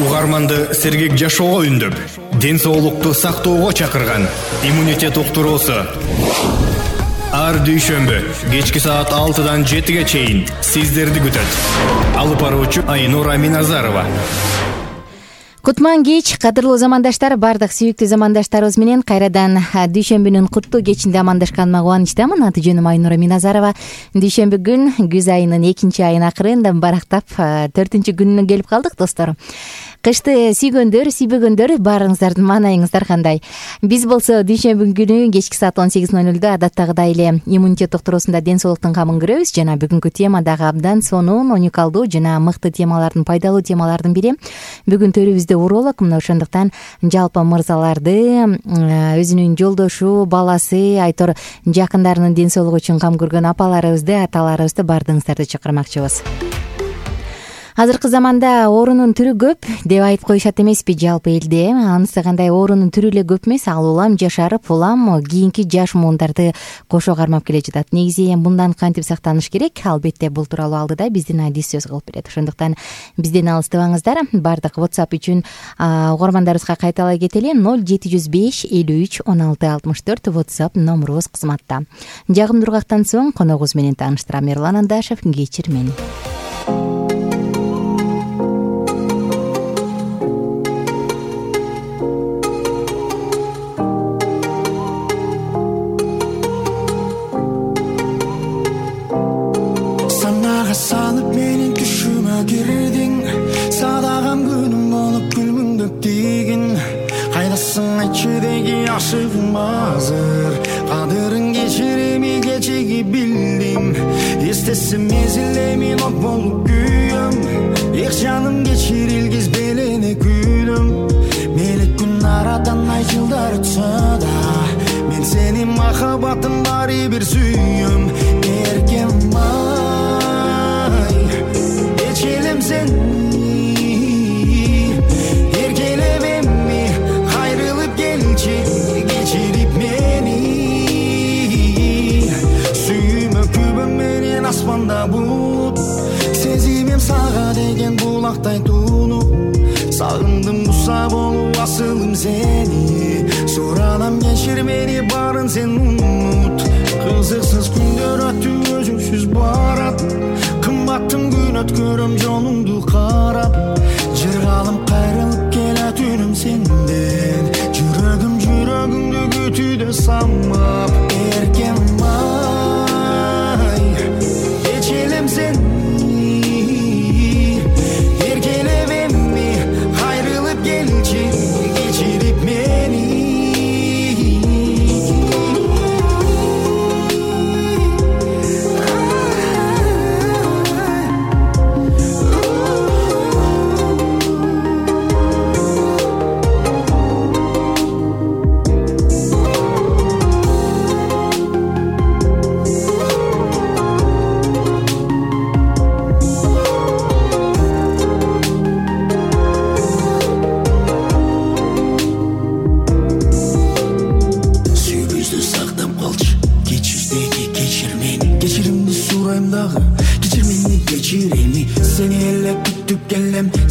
угарманды сергек жашоого үндөп, ден соолукту сактоого чакырган иммунитет уктуруусу. Ар дүйшөмбү кечки саат 6-дан 7-ге чейин сиздерди күтөт. Алып баруучу Айнура Миназарова. Кутман кеч, кадырлуу замандаштар, бардык сүйүктүү замандаштарыбыз менен кайрадан дүйшөмбүнүн куттуу кечинде амандашканыма кубанычтамын. Аты жөнүм Айнура Миназарова. Дүйшөмбү күн күз айынын 2-айын акырында барактап 4-күнүнө келип калдык, достор. Кышты сүйгөндөр, сүйбөгөндөр баарыңыздардын маанайыңыздар кандай? Биз болсо дүйшөмбү күнү кечки саат 18:00 адаттагыдай эле иммунитет доктурусунда ден соолуктун камын көрөбүз. Жана бүгүнкү тема дагы абдан сонун, уникалдуу жана мыкты темалардын, пайдалуу темалардын бири. Бүгүн төрүбүздө уролог, мына ошондуктан жалпы мырзаларды, өзүнүн жолдошу, баласы, айтор жакындарынын ден соолугу үчүн кам көргөн апаларыбызды, аталарыбызды бардыгыңыздарды чакырмакчыбыз. Азыркы заманда оорунун түрү көп деп айтып коюшат эмеспи жалпы элде? Анысы кандай, оорунун түрү эле көп эмес, ал улам жашарып, улам кийинки жаш муундарды кошо кармап келе жатат. Негизи мындан кантип сактаныш керек? Албетте бул тууралуу алдыда биздин адис сөз кылып берет. Ошондуктан бизден алыстабаңыздар. Бардык WhatsApp үчүн угармандарыбызга кайталай кетели. 0705 53 16 64 WhatsApp номурубуз кызматта. Жагымдуу ургактан соң коногубуз менен тааныштырам. Эрлан Андашев, кечир мени. Салып менин түшүмө кирдиң, садагам күнүм болуп күлмүңдөп тийгин. Кайдасың айтчы деги ашыгым азыр, кадырын кечирими кечиги билдим. Эстесим мезилемин от болуп күйөм, эх жаным кечирилгиз белене күнүм. Мелек күн арадан ай жылдар өтсө да, мен сенин махаббатың баары бир сүйөм. Эркем Келем сени, эркелеп эмми, кайрылып келчи, кечирип мени. Сүйүмө күбөм менен аспанда булут, сезимим сага деген булактай тунуп. Сагындым буса болуп асылым сени, суранам кечир мени, баарын сен унут. Кызыксыз күндөр өтүп өзүңсүз барат, кымбаттым күн өткөрөм жолуңду карап. Жыргалым кайрылып келе түнүм сенден, жүрөгүңдү күтүүдө самап. Эркем кечелем сени, эркелеп эмми, кайрылып келчи, кечирип мени.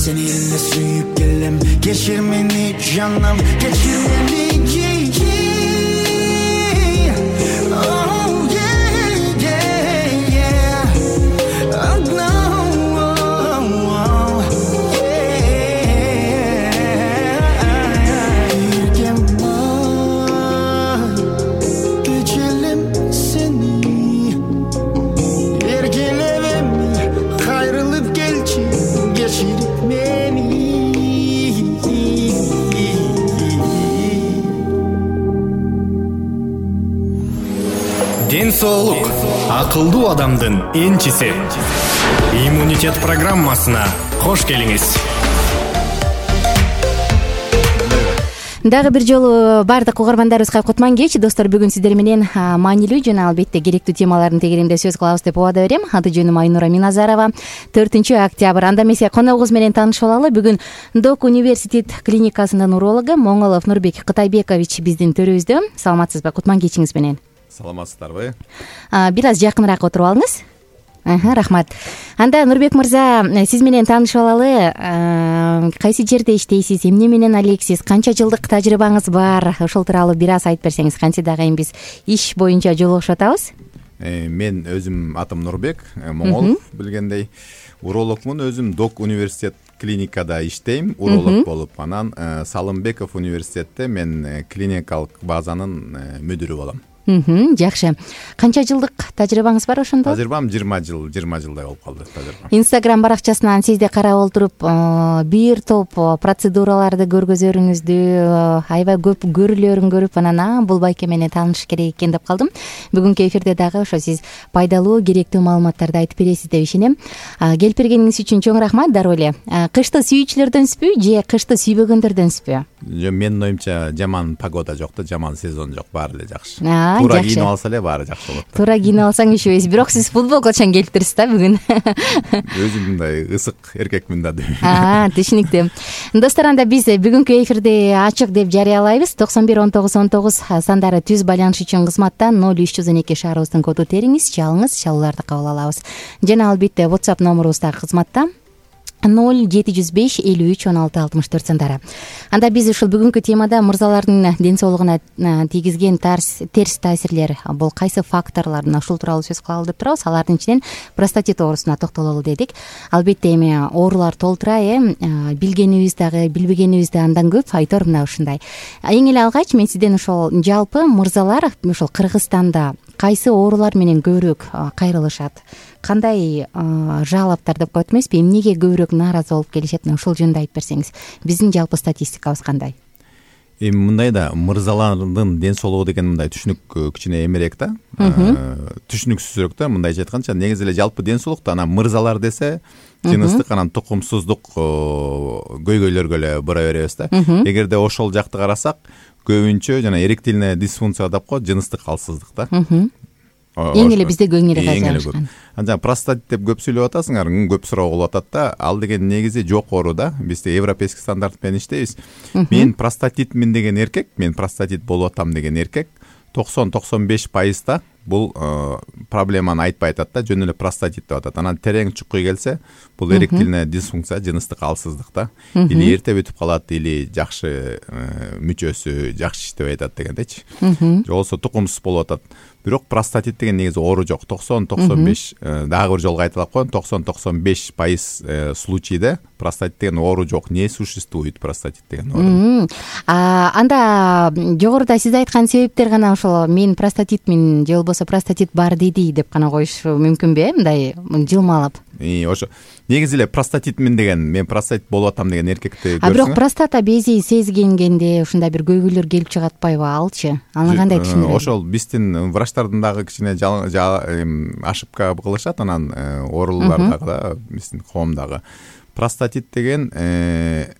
Seni elle suyup gelem, geçir beni canım, geçir beni. Oh yeah, yeah, yeah. Oh no, oh, yeah. Erken geçelim seni, erkelevem, kayrılıp gelçi, geçirip Ден соолук акылдуу адамдын энчиси. Иммунитет программасына кош келиңиз. Дагы бир жолу бардык угармандарыбызга кутман кеч, достор. Бүгүн сиздер менен маанилүү жана албетте керектүү темалардын тегерегинде сөз кылабыз деп убада берем. Аты жөнүм Айнура Миназарова. 4-октябрь. Анда эмесе коногубуз менен таанышып алалы. Бүгүн Док университет клиникасынын урологу Моңолов Нурбек Кытайбекович биздин төрүбүздө. Саламатсызбы? Кутман кечиңиз менен. Саламатсыздарбы? Бир аз жакыныраак отуруп алыңыз. Рахмат. Анда Нурбек мырза, сиз менен таанышып алалы. Кайсы жерде иштейсиз, эмне менен алексиз, канча жылдык тажрыйбаңыз бар? Ошол тууралуу бир аз айтып берсеңиз, кантсе дагы эми биз иш боюнча жолугушуп атабыз. Мен өзүм атым Нурбек, Моңолов, билгендей урологмун. Өзүм Док университет клиникада иштейм, уролог болуп. Анан Салымбеков университетте мен клиникалык базанын мүдүрү болом. Жакшы. Канча жылдык тажрыйбаңыз бар ошондо? Тажрыйбам 20 жылдай болуп калды тажрыйбам. Инстаграм баракчасынан сизди карап олтуруп, бир топ процедураларды көргөзөрүңүздү, аябай көп көрүлөрүн көрүп, анан бул байке менен таанышыш керек экен деп калдым. Бүгүнкү эфирде дагы ошо сиз пайдалуу, керектүү маалыматтарды айтып бересиз деп ишенем. Келип бергениңиз үчүн чоң рахмат. Дароо эле кышты сүйүүчүлөрдөнсүзбү же кышты сүйбөгөндөрдөнсүзбү? Менин оюмча жаман погода жок да, жаман сезон жок, баары эле жакшы. Туура кийинип алса эле баары жакшы болот. Туура кийинип алсаң ишибейсиз. Бирок сиз футболкачан келиптирсиз да бүгүн. Өзүм мындай ысык эркекмин да. Түшүнүктүү. Достор, анда биз бүгүнкү эфирди ачык деп жарыялайбыз. 91-19-19 сандары түз байланыш үчүн кызматта 0312 шаарыбыздын коду териңиз, чалыңыз, чалууларды кабыл алабыз. Жана албетте WhatsApp номурубуз дагы кызматта 0705 53 16 64 сандары. Анда биз ушул бүгүнкү темада мырзалардын ден соолугуна тийгизген терс таасирлер бул кайсы факторлор, ушул тууралуу сөз кылалы деп турабыз. Алардын ичинен простатит оорусуна токтололу дедик. Албетте эми оорулар толтура, билгенибиз дагы, билбегенибиз да андан көп. Айтор мына ушундай. Эң эле алгач мен сизден ошол жалпы мырзалар ушул Кыргызстанда кайсы оорулар менен көбүрөөк кайрылышат, кандай жалаптар деп коет эмеспи, эмнеге көбүрөөк нааразы болуп келишет, ошол жөнүндө айтып берсеңиз. Биздин жалпы статистикабыз кандай? Эми мындай да, мырзалардын ден соолугу деген мындай түшүнүк кичине эмерээк да, түшүнүксүзүрөөк да. Мындайча айтканча, негизи эле жалпы ден соолукта анан мырзалар десе жыныстык, анан тукумсуздук көйгөйлөргө эле бура беребиз да. Эгерде ошол жакты карасак, көбүнчө жана эректильная дисфункция деп коет, жыныстык калсыздык да. Эң эле бизде кеңири кайрылышкан. Анан простатит деп көп сүйлөп атасыңар, көп суроо болуп атат да. Ал деген негизи жок оору да. Бизде европейский стандарт менен иштейбиз. Мен простатитмин деген эркек, мен простатит болуп атам деген эркек 90-95% бул проблеманы айтпай атат да, жөн эле простатит деп атат. Анан терең чукуй келсе, бул эректильная дисфункция, жыныстык алсыздык да. Или эрте бүтүп калат, или жакшы мүчөсү жакшы иштебей атат дегендейчи. Же болбосо тукумсуз болуп атат. Бирок простатит деген негизи оору жок. 90-95 дагы бир жолго айтылып коеюн, 90-95% случайда простатит деген оору жок. Не существует простатит деген оору. Анда жогоруда сиз айткан себептер гана ошол мен простатитмин же болбосо простатит бар деди деп гана коюш мүмкүнбү, мындай жылмалап? Ошо негизи эле простатитмин деген, мен простатит болуп атам деген эркекти көрсөң. Бирок простата бези сезгенгенде ушундай бир көйгөйлөр келип чыгат атпайбы, алчы? Аны кандай түшүндүрөсүз? Ошол биздин врачтардын дагы кичине ошибка кылышат, анан оорулар дагы да биздин коомдагы. Простатит деген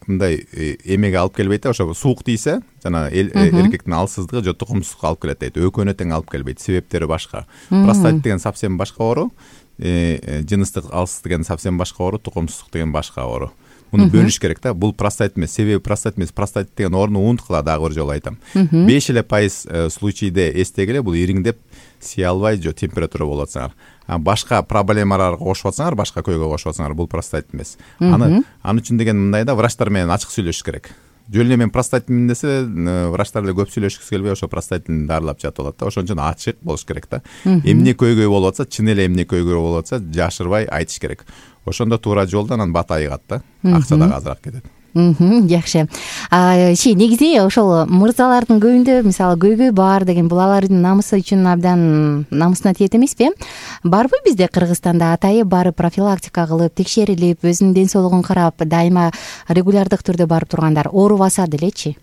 мындай эмеге алып келбейт да, ошо суук тийсе, жана эркектин алсыздыгы же тукумсуздукка алып келет дейт. Өкөнө тең алып келбейт, себептери башка. Простатит деген совсем башка оору, жыныстык алсыз деген совсем башка оору, тукумсуздук деген башка оору. Муну бөлүш керек да. Бул простатит эмес, себеби простатит эмес. Простатит деген ооруну унуткула, дагы бир жолу айтам. 5% случайда эстегиле, бул ириңдеп сие албай же температура болуп атсаңар. Башка проблемаларга кошуп атсаңар, башка көйгөй кошуп атсаңар, бул простатит эмес. Аны үчүн деген мындай да, врачтар менен ачык сүйлөшүш керек. Жөн эле мен простатитмин десе, врачтар эле көп сүйлөшкүсү келбей, ошо простатитин дарылап жатып алат да. Ошон үчүн ачык болуш керек да. Эмне көйгөй болуп атса, чын эле эмне көйгөй болуп атса, жашырбай айтыш керек. Ошондо туура жолдон анан бат айыгат да. Акча дагы азыраак кетет. Жакшы. Негизи ошол мырзалардын көбүндө мисалы көйгөй бар деген, бул алардын намысы үчүн абдан намысына тиет эмеспи? Барбы бизде Кыргызстанда атайы барып профилактика кылып, текшерилип, өзүнүн ден соолугун карап, дайыма регулярдык түрдө барып тургандар оорубаса делечи?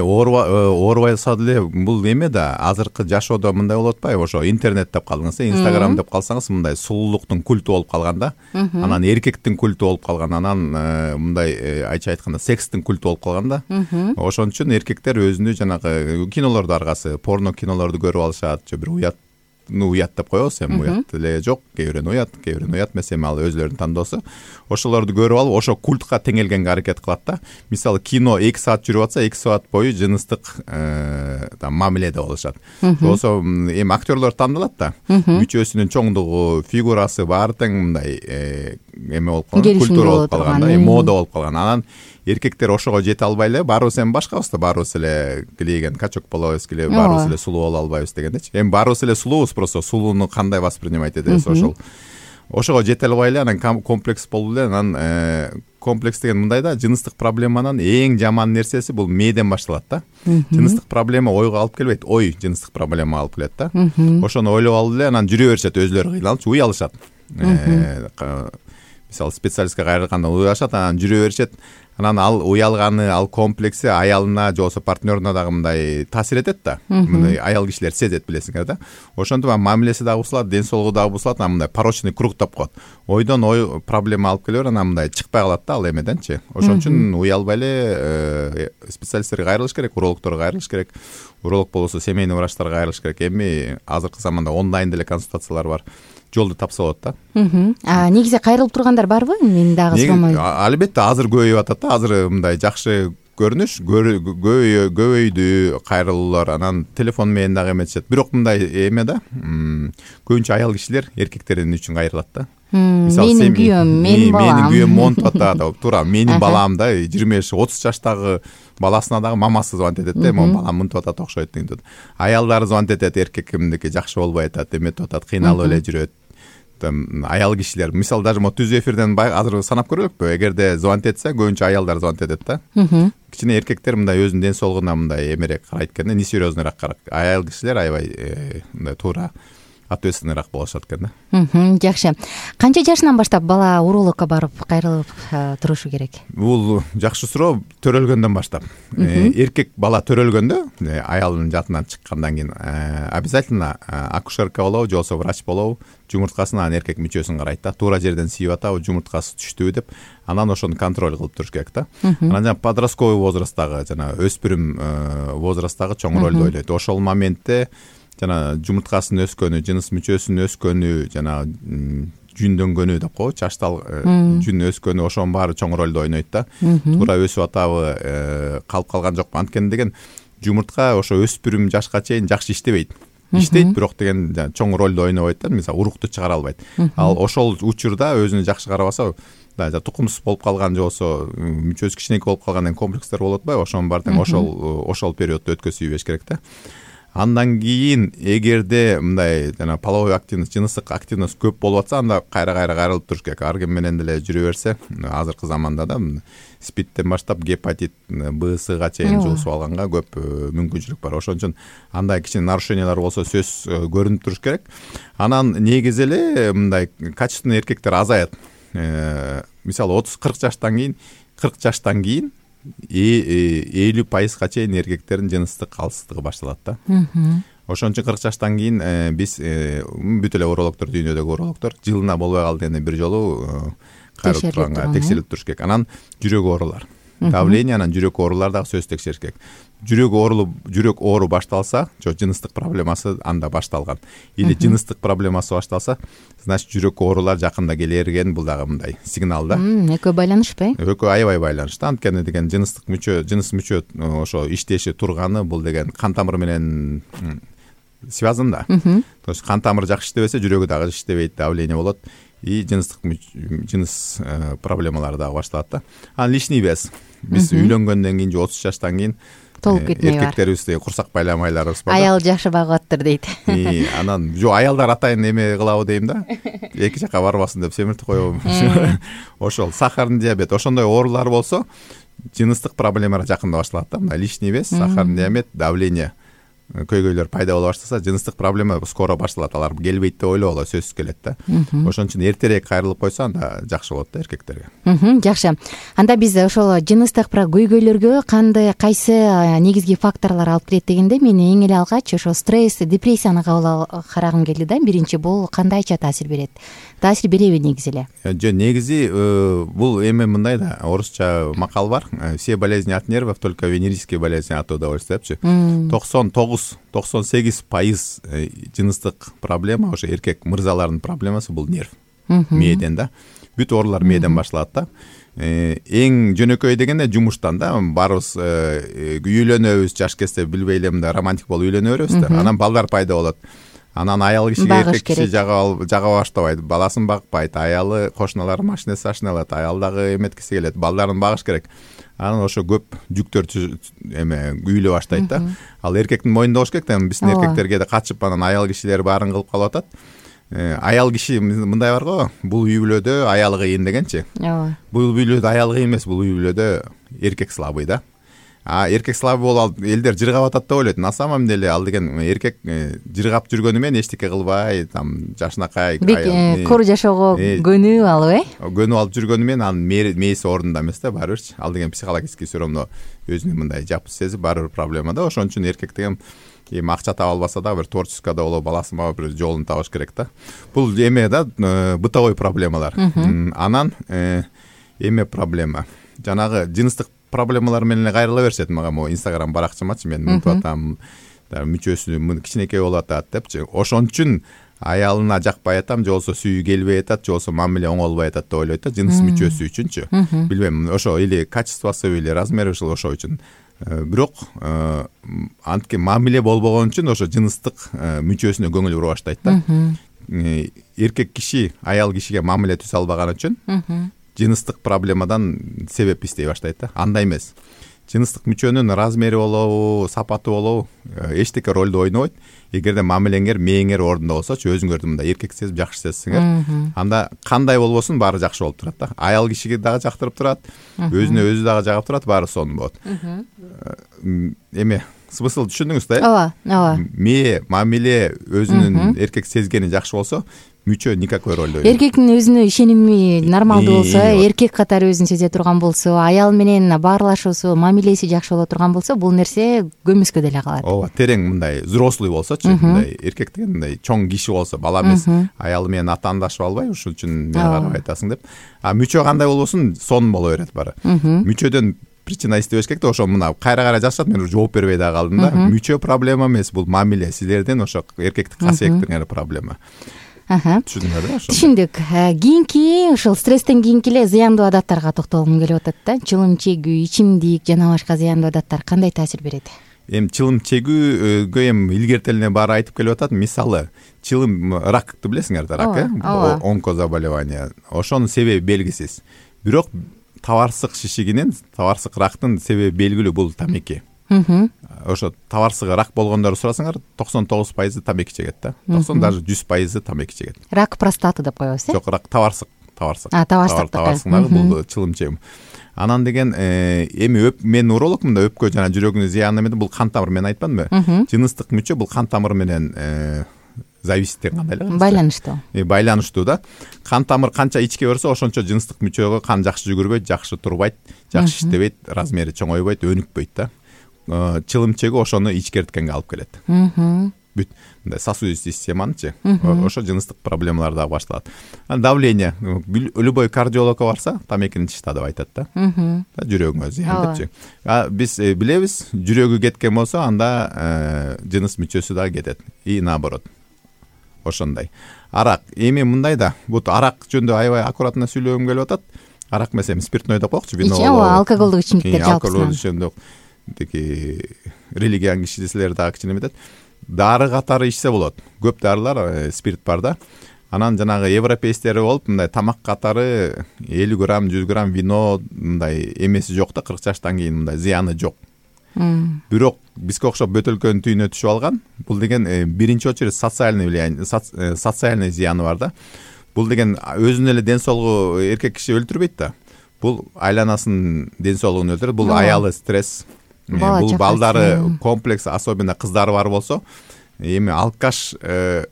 Оорубаса деле бул эме да, азыркы жашоодо мындай болуп атпайбы? Ошо интернет деп калдыңыз, Инстаграм деп калсаңыз, мындай сулуулуктун культу болуп калган да. Анан эркектин культу болуп калган, анан мындай айча айтканда секстин культу болуп калган да. Ошон үчүн эркектер өзүнү жанагы кинолорду аргасы, порно кинолорду көрүп алышат, же бир уят уят деп коебуз, эми уят эле жок, кээ бирөөнү уят эмес, эми ал өзлөрүнүн тандоосу. Ошолорду көрүп алып, ошо культка теңелгенге аракет кылат да. Мисалы, кино 2 саат жүрүп атса, 2 саат бою жыныстык мамиледе болушат. Болсо эми актерлор тандалат да. Мүчөсүнүн чоңдугу, фигурасы баары тең мындай эме болуп калган, культура болуп калган, мода болуп калган. Анан эркектер ошого жете албай эле, баарыбыз эми башкабыз да, баарыбыз эле килейген качок болобуз, баарыбыз эле сулуу боло албайбыз дегендечи. Эми баарыбыз эле сулуубуз, просто сулууну кандай воспринимать этебиз, ошого жете албай эле, анан комплекс болуп эле, анан комплекс деген мындай да, жыныстык проблеманын эң жаман нерсеси бул мээден башталат да. Жыныстык проблема ойго алып келбейт, ой жыныстык проблема алып келет да. Ошону ойлоп алып эле анан жүрө беришет, өзлөрү кыйналып уялышат. Мисалы, специалистке кайрылганда уялышат, анан жүрө беришет. Анан ал уялганы, ал комплекси аялына же болбосо партнерине дагы мындай таасир этет да. Мындай аял кишилер сезет, билесиңер да. Ошентип мамилеси дагы бузулат, ден соолугу дагы бузулат, анан мындай порочный кругтап коет. Ойдон ой проблема алып келе бер, анан мындай чыкпай калат да ал эмеденчи. Ошон үчүн уялбай эле специалисттерге кайрылыш керек, урологторго кайрылыш керек. Уролог болсо семейный врачтарга кайрылыш керек. Эми азыркы заманда онлайн деле консультациялар бар. Жолду тапса болот да. Негизи кайрылып тургандар барбы? Мен дагы сурмаймын. Албетте азыр көбөйүп атат да. Азыр мындай жакшы көрүнүш, көбөйдү кайрылуулар. Анан телефон менен дагы эметишет. Бирок мындай эме да. Көбүнчө аял кишилер эркектердин үчүн кайрылат да. Менин күйөөм, менин балам. Менин күйөөм монтуп атат, туура. Менин балам да 25-30 жаштагы баласына дагы мамасы звонить этет да, монун балам мынтип атат, окшойт дейт. Аялдар звонить этет, эркекимдики жакшы болбой атат, эметип атат, кыйналып эле жүрөт. Аял кишилер, мисалы, даже түз эфирден азыр санап көрөлүкпү, эгерде звонить этсе, көбүнчө аялдар звонить этет да. Кичине эркектер мындай өзүнүн ден соолугуна мындай эмерээк карайт экен да, несерьезныйраак карайт. Аял кишилер аябай мындай туура ответственныйраак болушат экен да. Жакшы. Канча жашынан баштап бала урологко барып кайрылып турушу керек? Бул жакшы суроо. Төрөлгөндөн баштап. Эркек бала төрөлгөндө, аялдын жатынан чыккандан кийин обязательно акушерка болобу, же болбосо врач болобу, жумурткасын, анан эркек мүчөсүн карайт да. Туура жерден siiп атабы, жумурткасы түштүбү деп, анан ошону контроль кылып туруш керек да. Анан жана подростковый возрасттагы, жана өспүрүм возрасттагы чоң ролду ойлойт. Ошол моментте жана жумурткасынын өскөнү, жыныс мүчөсүнүн өскөнү, жана жүндөнгөнү деп коебу, чачтал жүн өскөнү, ошонун баары чоң ролду ойнойт да. Туура өсүп атабы, калып калган жокпу? Анткени деген жумуртка ошо өспүрүм жашка чейин жакшы иштебейт, бирок деген чоң ролду ойнобойт да. Мисалы, урукту чыгара албайт. Ал ошол учурда өзүнө жакшы карабаса, тукумсуз болуп калган же болбосо мүчөсү кичинекей болуп калган комплекстер болуп атпайбы? Ошонун баары тең ошол периодду өткөзүп ийбеш керек да. Андан кийин эгерде мындай жана половой активность, жыныстык активность көп болуп атса, анда кайра кайрылып туруш керек. Ар ким менен деле жүрө берсе, азыркы заманда да спидтен баштап гепатит Б-га чейин жуусуп алганга көп мүмкүнчүлүк бар. Ошон үчүн андай кичине нарушениялар болсо сөзсүз көрүнүп туруш керек. Анан негизи эле мындай качественный эркектер азаят. Мисалы 30-40 жаштан кийин 50% чейин эркектердин жыныстык калсыздыгы башталат да. Ошон үчүн 40 жаштан кийин биз бүт эле урологдор, дүйнөдөгү урологдор жылына болбой калды дегенде бир жолу текшерилип туруш керек. Анан жүрөк оорулар, давление, анан жүрөк оорулар дагы сөзсүз текшериш керек. Жүрөк оору башталса, жыныстык проблемасы анда башталган. Или жыныстык проблемасы башталса, значит жүрөк оорулар жакында келерген, бул дагы мындай сигнал да. Экөө байланышпы? Экөө аябай байланыштуу. Анткени деген жыныс мүчө ошо иштеши турганы, бул деген кан тамыры менен связан да. То есть кан тамыры жакшы иштебесе, жүрөгү дагы иштебейт, давление болот. И жыныс проблемалары дагы башталат да. Анан лишний вес. Биз үйлөнгөндөн кийин же 30 жаштан кийин толуп кетмей бар. Эркектерибизде курсак байламайларыбыз бар. Аял жакшы багып аттыр дейт. Анан аялдар атайын эме кылабы дейм да. Эки жака барбасын деп семиртип коебу. Ошол сахарный диабет, ошондой оорулар болсо, жыныстык проблемалар жакында башталат да. Мына лишний вес, сахарный диабет, давление, көйгөйлөр пайда боло баштаса, жыныстык проблема скоро башталат. Алар келбейт деп ойлобогула, сөзсүз келет да. Ошон үчүн эртерээк кайрылып койсо, анда жакшы болот да эркектерге. Жакшы. Анда биз ошол жыныстык көйгөйлөргө кайсы негизги факторлор алып келет дегенде, мен эң эле алгач ошо стресс, депрессияны карагым келди да. Биринчи, бул кандайча таасир берет? Таасир береби негизи эле? Негизи бул эме мындай да, орусча макал бар. Все болезни от нервов, только венерические болезни от удовольствия депчи. 99 99-98% жыныстык проблема ошо эркек мырзалардын проблемасы бул нерв, мээден да. Бүт оорулар мээден башталат да. Эң жөнөкөй дегенде жумуштан да, баарыбыз үйлөнөбүз, жаш кезде билбей эле мындай романтик болуп үйлөнө беребиз да. Анан балдар пайда болот. Анан аял кишиге эркек киши жага баштабайт, баласын бакпайт, аялы кошуналары машинасы ашыналат, аял дагы эметкиси келет, балдарын багыш керек. Анан ошо көп жүктөр үйүлө баштайт да. Ал эркектин мойнунда болуш керек да. Биздин эркектерге да качып анан аял кишилер баарын кылып калып атат. Аял киши мындай бар го, бул үй бүлөдө аялы кыйын дегенчи. Ооба. Бул үй бүлөдө аял кыйын эмес, бул үй бүлөдө эркек слабый да. Эркек слабый болуп элдер жыргап атат деп ойлойт. На самом деле ал деген эркек жыргап жүргөнү менен эчтеке кылбай, там жашынакай кур жашоого көнүп алып, көнүп алып жүргөнү менен анын мээси ордунда эмес да, баары бирчи. Ал деген психологический все равно өзүнү мындай жапыс сезип баары бир проблема да. Ошон үчүн эркек деген акча таба албаса дагы бир творческийда болуп, баласын багып бир жолун табыш керек да. Бул да, бытовой проблемалар. Анан проблема. Жанагы жыныстык проблемалар менен кайрыла беришет мага могу Instagram баракчамачы, мен мынтип атам, мүчөсү кичинекей болуп атат депчи. Ошон үчүн аялына жакпай атам, же болбосо сүйүү келбей атат, же болбосо мамиле оңолбой атат деп ойлойт да, жыныс мүчөсү үчүнчү. Билбейм, ошо или качествосу или размери ушул ошо үчүн. Бирок антке мамиле болбогон үчүн ошо жыныстык мүчөсүнө көңүл бура баштайт да. Эркек киши аял кишиге мамиле түзө албаган үчүн жыныстык проблемадан себеп издей баштайт да. Андай эмес. Жыныстык мүчөнүн размери болобу, сапаты болобу эчтеке ролду ойнобойт. Эгерде мамилеңер, мээңер ордунда болсочу, өзүңөрдү мындай эркек сезип жакшы сезсеңер, анда кандай болбосун баары жакшы болуп турат да. Аял кишиге дагы жактырып турат, өзүнө өзү дагы жагып турат, баары сонун болот. Смысл түшүндүңүз да? Ооба. Мээ, мамиле, өзүнүн эркек сезгени жакшы болсо, мүчө никакой роль ойнойт. Эркектин өзүнө ишеними нормалдуу болсо, эркек катары өзүн сезе турган болсо, аял менен баарлашуусу, мамилеси жакшы боло турган болсо, бул нерсе көмүскө деле калат. Ооба, терең мындай взрослый болсочу, мындай эркек деген мындай чоң киши болсо, бала эмес, аялы менен атаандашып албай, ушул үчүн мени карап айтасың деп. Мүчө кандай болбосун, сонун боло берет баары. Мүчөдөн причина издебеш керек да, ошо мына кайра жашат, мен жооп бербей да калдым да. Мүчө проблема эмес, бул мамиле, силердин ошо эркектик касиеттериңер проблема. Түшүндүңөрбү? Түшүндүк. Кийинки ушул стресстен кийинки эле зыяндуу адаттарга токтолгум келип атат да. Чылым чегүү, ичимдик жана башка зыяндуу адаттар кандай таасир берет? Чылым чегүүгө илгертелине баары айтып келип атат. Мисалы, чылым ракты билесиңер да, рак, онкозаболевание. Ошонун себеби белгисиз. Бирок табарсык шишигинин, табарсык рактын себеби белгилүү, бул тамеки. Ошо табарсыгы рак болгондорду сурасаңар, 99% тамеки чегет да. 90 даже 100% тамеки чегет. Рак простаты деп коебуз, Жок, рак табарсык. Табарсык. Бул чылым чегүү. Анан деген мен урологмун да, өпкө жана жүрөгүнүн зыянын эметем, бул кан тамыр, мен айтпадымбы? Жыныстык мүчө бул кан тамыр менен зависит деген кандай эле? Байланыштуу. Байланыштуу да. Кан тамыр канча ичке берсе, ошончо жыныстык мүчөгө кан жакшы жүгүрбөйт, жакшы турбайт, жакшы иштебейт, размери чоңойбойт, өнүкпөйт да. Чылым чегүү ошону ичкерткенге алып келет. Бүт мындай сосудистый системанычы, ошо жыныстык проблемалар дагы башталат. Давление, любой кардиологко барса, тамекини чышта деп айтат да. Жүрөгүңө зыян депчи. Биз билебиз, жүрөгү кеткен болсо, анда жыныс мүчөсү дагы кетет. И наоборот. Ошондой. Арак, мындай да, бут арак жөнүндө аябай аккуратно сүйлөгүм келип атат. Арак эмес, спиртной деп коелучу, вино. Алкоголдук ичимдиктер жалпысынан. Алкоголдук ичимдик. Тиги религиян кишилер дагы кичине эметет. Дары катары ичсе болот. Көп дарылар, спирт бар да. Анан жанагы европейцтер болуп, мындай тамак катары 50 грамм, 100 грамм вино мындай эмеси жок да, 40 жаштан кийин мындай зыяны жок. Бирок бизге окшоп бөтөлкөнүн түйүнө түшүп алган. Бул деген биринчи очередь социальный влияние, социальный зыяны бар да. Бул деген өзүнүн эле ден соолугу эркек киши өлтүрбөйт да. Бул айланасынын ден соолугун өлтүрөт. Бул аялы стресс. Бул балдары комплекс, особенно кыздары бар болсо, алкаш,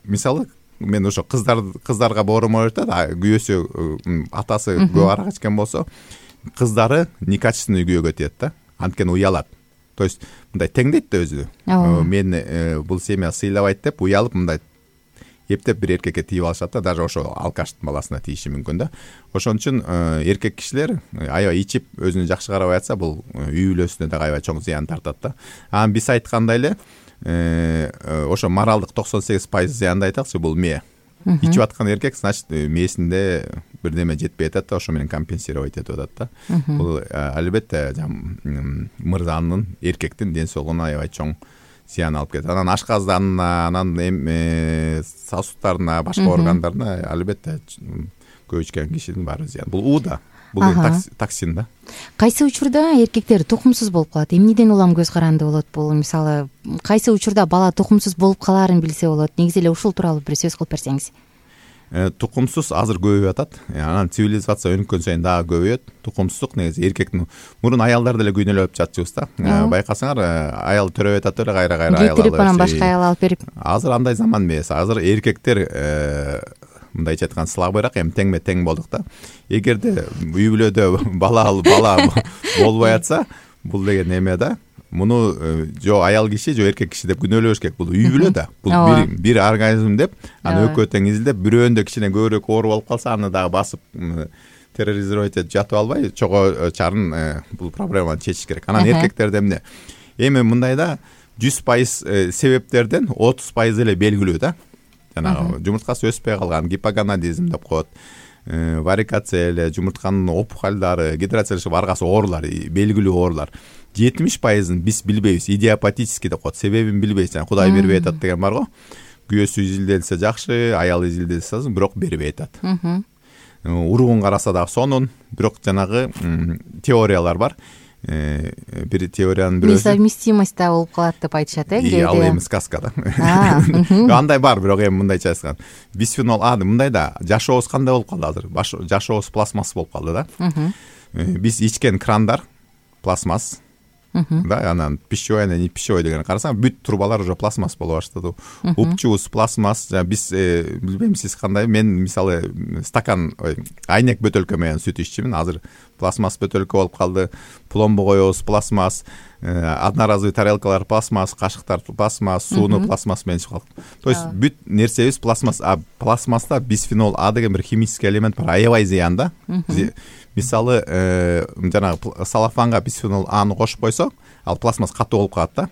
мисалы, мен ошо кыздарга боорум айтат, күйөөсү, атасы көп арак ичкен болсо, кыздары некачественный күйөөгө тиет да. Анткени уялат. То есть мындай теңдейт да өзү. Мен бул семья сыйлабайт деп уялып мындай эптеп бир эркекке тийип алышат да, даже ошо алкаштын баласына тийиши мүмкүн да. Ошон үчүн эркек кишилер аябай ичип өзүнө жакшы карабай атса, бул үй бүлөсүнө да аябай чоң зыян тартат да. Анан биз айткандай эле ошо моралдык 98% зыянды айтакчы, бул мээ. Ичип аткан эркек, значит, мээсинде бирдеме жетпей атат да, ошо менен компенсировать этип атат да. Бул албетте мырзанын, эркектин ден соолугуна аябай чоң зыян алып келет. Анан ашказданына, анан сосудтарына, башка органдарына албетте көп ичкен кишинин баары зыян. Бул УДА. Бул токсин да. Кайсы учурда эркектер тукумсуз болуп калат? Эмнеден улам көз каранды болот бул? Мисалы, кайсы учурда бала тукумсуз болуп калаарын билсе болот? Негизи эле ушул тууралуу бир сөз кылып берсеңиз. Тукумсуз азыр көбөйүп атат. Анан цивилизация өнүккөн сайын дагы көбөйөт. Тукумсуздук негизи эркектин, мурун аялдар деле күйнөлөп жатчыбыз да. Байкасаңар, аял төрөп атат эле, кайра аял алып. Кетирип анан башка аял алып берип. Азыр андай заман эмес. Азыр эркектер мындайча айтканда слабыйраак, эми теңме тең болдук да. Эгерде үй бүлөдө бала болбой атса, бул деген эме да. Муну жо аял киши, жо эркек киши деп күнөөлөбөш керек. Бул үй бүлө да. Бул бир организм деп, аны экөө тең изилдеп, бирөөндө кичине көбүрөөк оор болуп калса, аны дагы басып терроризировать этип жатып албай, чого чарын бул проблеманы чечиш керек. Анан эркектерде эмне? Эми мындай да, 100% себептерден 30% эле белгилүү да. Жанагы жумурткасы өспөй калган, гипоганадизм деп коет, варикация эле, жумуртканын опухолдору, гидроцель, аргасы оорулар, белгилүү оорулар. 70%ын биз билбейбиз, идиопатический деп коет, себебин билбейбиз. Кудай бербей атат деген бар го. Күйөөсү изилделсе жакшы, аял изилделсе, бирок бербей атат. Уругун караса дагы сонун, бирок жанагы теориялар бар. Бир теориянын бирөөсү несовместимость да болуп калат деп айтышат, ал эми сказка да. Андай бар, бирок эми мындайча айткан. Бисфенол А мындай да, жашообуз кандай болуп калды азыр? Жашообуз пластмасс болуп калды да. Биз ичкен крандар пластмасс. Да, анан пищевой, не пищевой деген карасаң, бүт трубалар уже пластмасс болуп баштады. Упчубуз пластмасс. Биз билбейм сиз кандай, мен мисалы стакан, айнек бөтөлкө менен сүт иччимин. Азыр пластмасс бөтөлкө болуп калды. Пломбу коебуз пластмасс, одноразовый тарелкалар пластмасс, кашыктар пластмасс, сууну пластмасс менен чыгып калды. То есть бүт нерсебиз пластмасс. А пластмасста бисфенол А деген бир химический элемент бар, аябай зыян да. Мисалы, жанагы салафанга бисфенол Аны кошуп койсо, ал пластмасс катуу болуп калат да.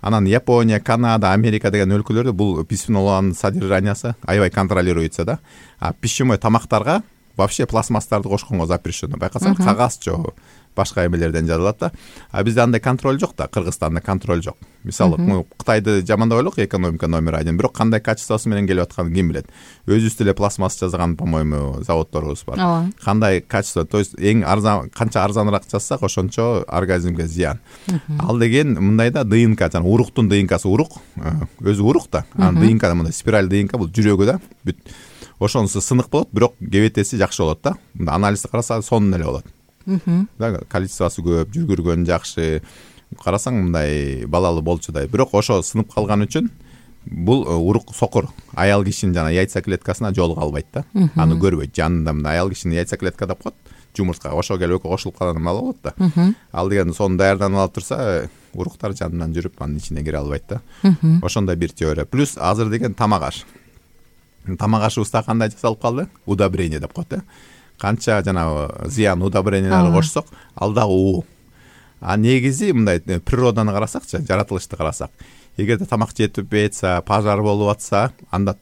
Анан Япония, Канада, Америка деген өлкөлөрдө бул бисфенол Анын содержаниясы аябай контролируется да. А пищевой тамактарга вообще пластмасстарды кошконго запрещено. Байкасаң, кагаз жок, башка эмелерден жазылат да. А бизде андай контроль жок да, Кыргызстанда контроль жок. Мисалы, Кытайды жамандабай элек, экономика номер 1, бирок кандай качествосы менен келип атканын ким билет. Өзүбүз эле пластмасс жазган, по-моему, заводдорубуз бар. Кандай качество, то есть эң арзан, канча арзаныраак жазсак, ошончо организмге зыян. Ал деген мындай да, ДНК, жана уруктун ДНКсы урук, өзү урук да. Анан ДНК мындай спираль ДНК, бул жүрөгү да. Бүт ошонусу сынык болот, бирок КБТси жакшы болот да. Мында анализди караса сонун эле болот. Да, количествосы көп, жүргүргөн жакшы. Карасаң мындай балалы болчудай. Бирок ошо сынып калган үчүн бул урук сокур. Аял кишинин жана яйца клеткасына жолуга албайт да. Аны көрбөйт. Жанында мына аял кишинин яйца клетка деп коет. Жумуртка ошо келип экөө кошулуп калган мал болот да. Ал деген сонун даярданып алып турса, уруктар жанынан жүрүп анын ичине кире албайт да. Ошондой бир теория. Плюс азыр деген тамак аш. Тамак ашыбызда кандай жасалып калды? Удобрение деп коет да. Канча жанагы зыян удобренияларды кошсок, ал дагы уу. А негизи мындай природаны карасакчы, жаратылышты карасак, эгерде тамак жетпей атса, пожар болуп атса, анда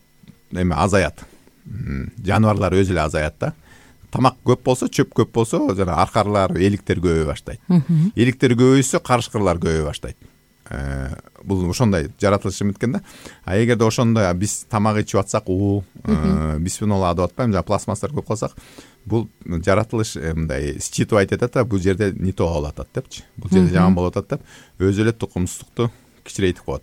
эме азаят. Жаныбарлар өзү эле азаят да. Тамак көп болсо, чөп көп болсо, жана аркарлар, эликтер көбөй баштайт. Эликтер көбөйсө, карышкырлар көбөй баштайт. Бул ошондой жаратылышы миткен да. А эгерде ошондой биз тамак ичип атсак, бисфенол А деп атпайм, жана пластмасстар көп калсак, бул жаратылыш мындай считывать этет да, бул жерде не то болуп атат депчи. Бул жерде жаман болуп атат деп, өзү эле тукумсуздукту кичирейтип коет.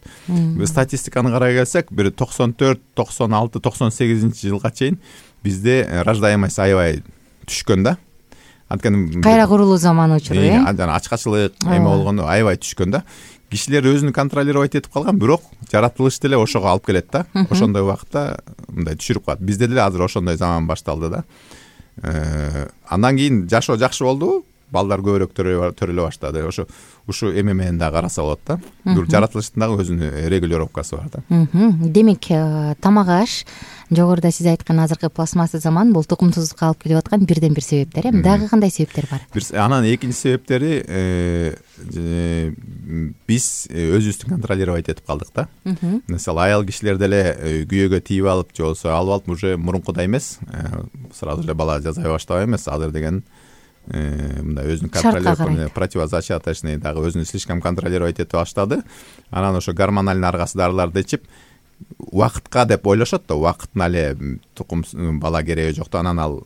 Статистиканы карай келсек, бир 94, 96, 98-жылга чейин бизде рождаемость аябай түшкөн да. Анткени кайра курулуу заманы учуру, жана ачкачылык эме болгондо аябай түшкөн да. Кишилер өзүн контролировать этип калган, бирок жаратылыш деле ошого алып келет да. Ошондой убакытта мындай түшүрүп калат. Бизде деле азыр ошондой заман башталды да. Андан кийин жашоо жакшы болду. балдар көбүрөөк төрөлө баштады. Ушу эме менен дагы караса болот да. Бул жаратылыштын дагы өзүнүн регулировкасы бар да. Демек тамак аш жогоруда сиз айткан азыркы пластмасса заман бул тукумсуздукка алып келип аткан бирден бир себептер. Дагы кандай себептер бар? Анан экинчи себептери биз өзүбүздү контролировать этип калдык да. Мисалы аял кишилер деле күйөөгө тийип алып же болбосо алып алып уже мурункудай эмес, сразу эле бала жасай баштабай эмес. Азыр деген мындай өзүнүн контролировкасы, противозачаточный дагы өзүнүн слишком контролировать этип баштады. Анан ошо гормональный аргасы дарыларды ичип убакытка деп ойлошот да, убакытына эле тукум бала кереги жок да, анан ал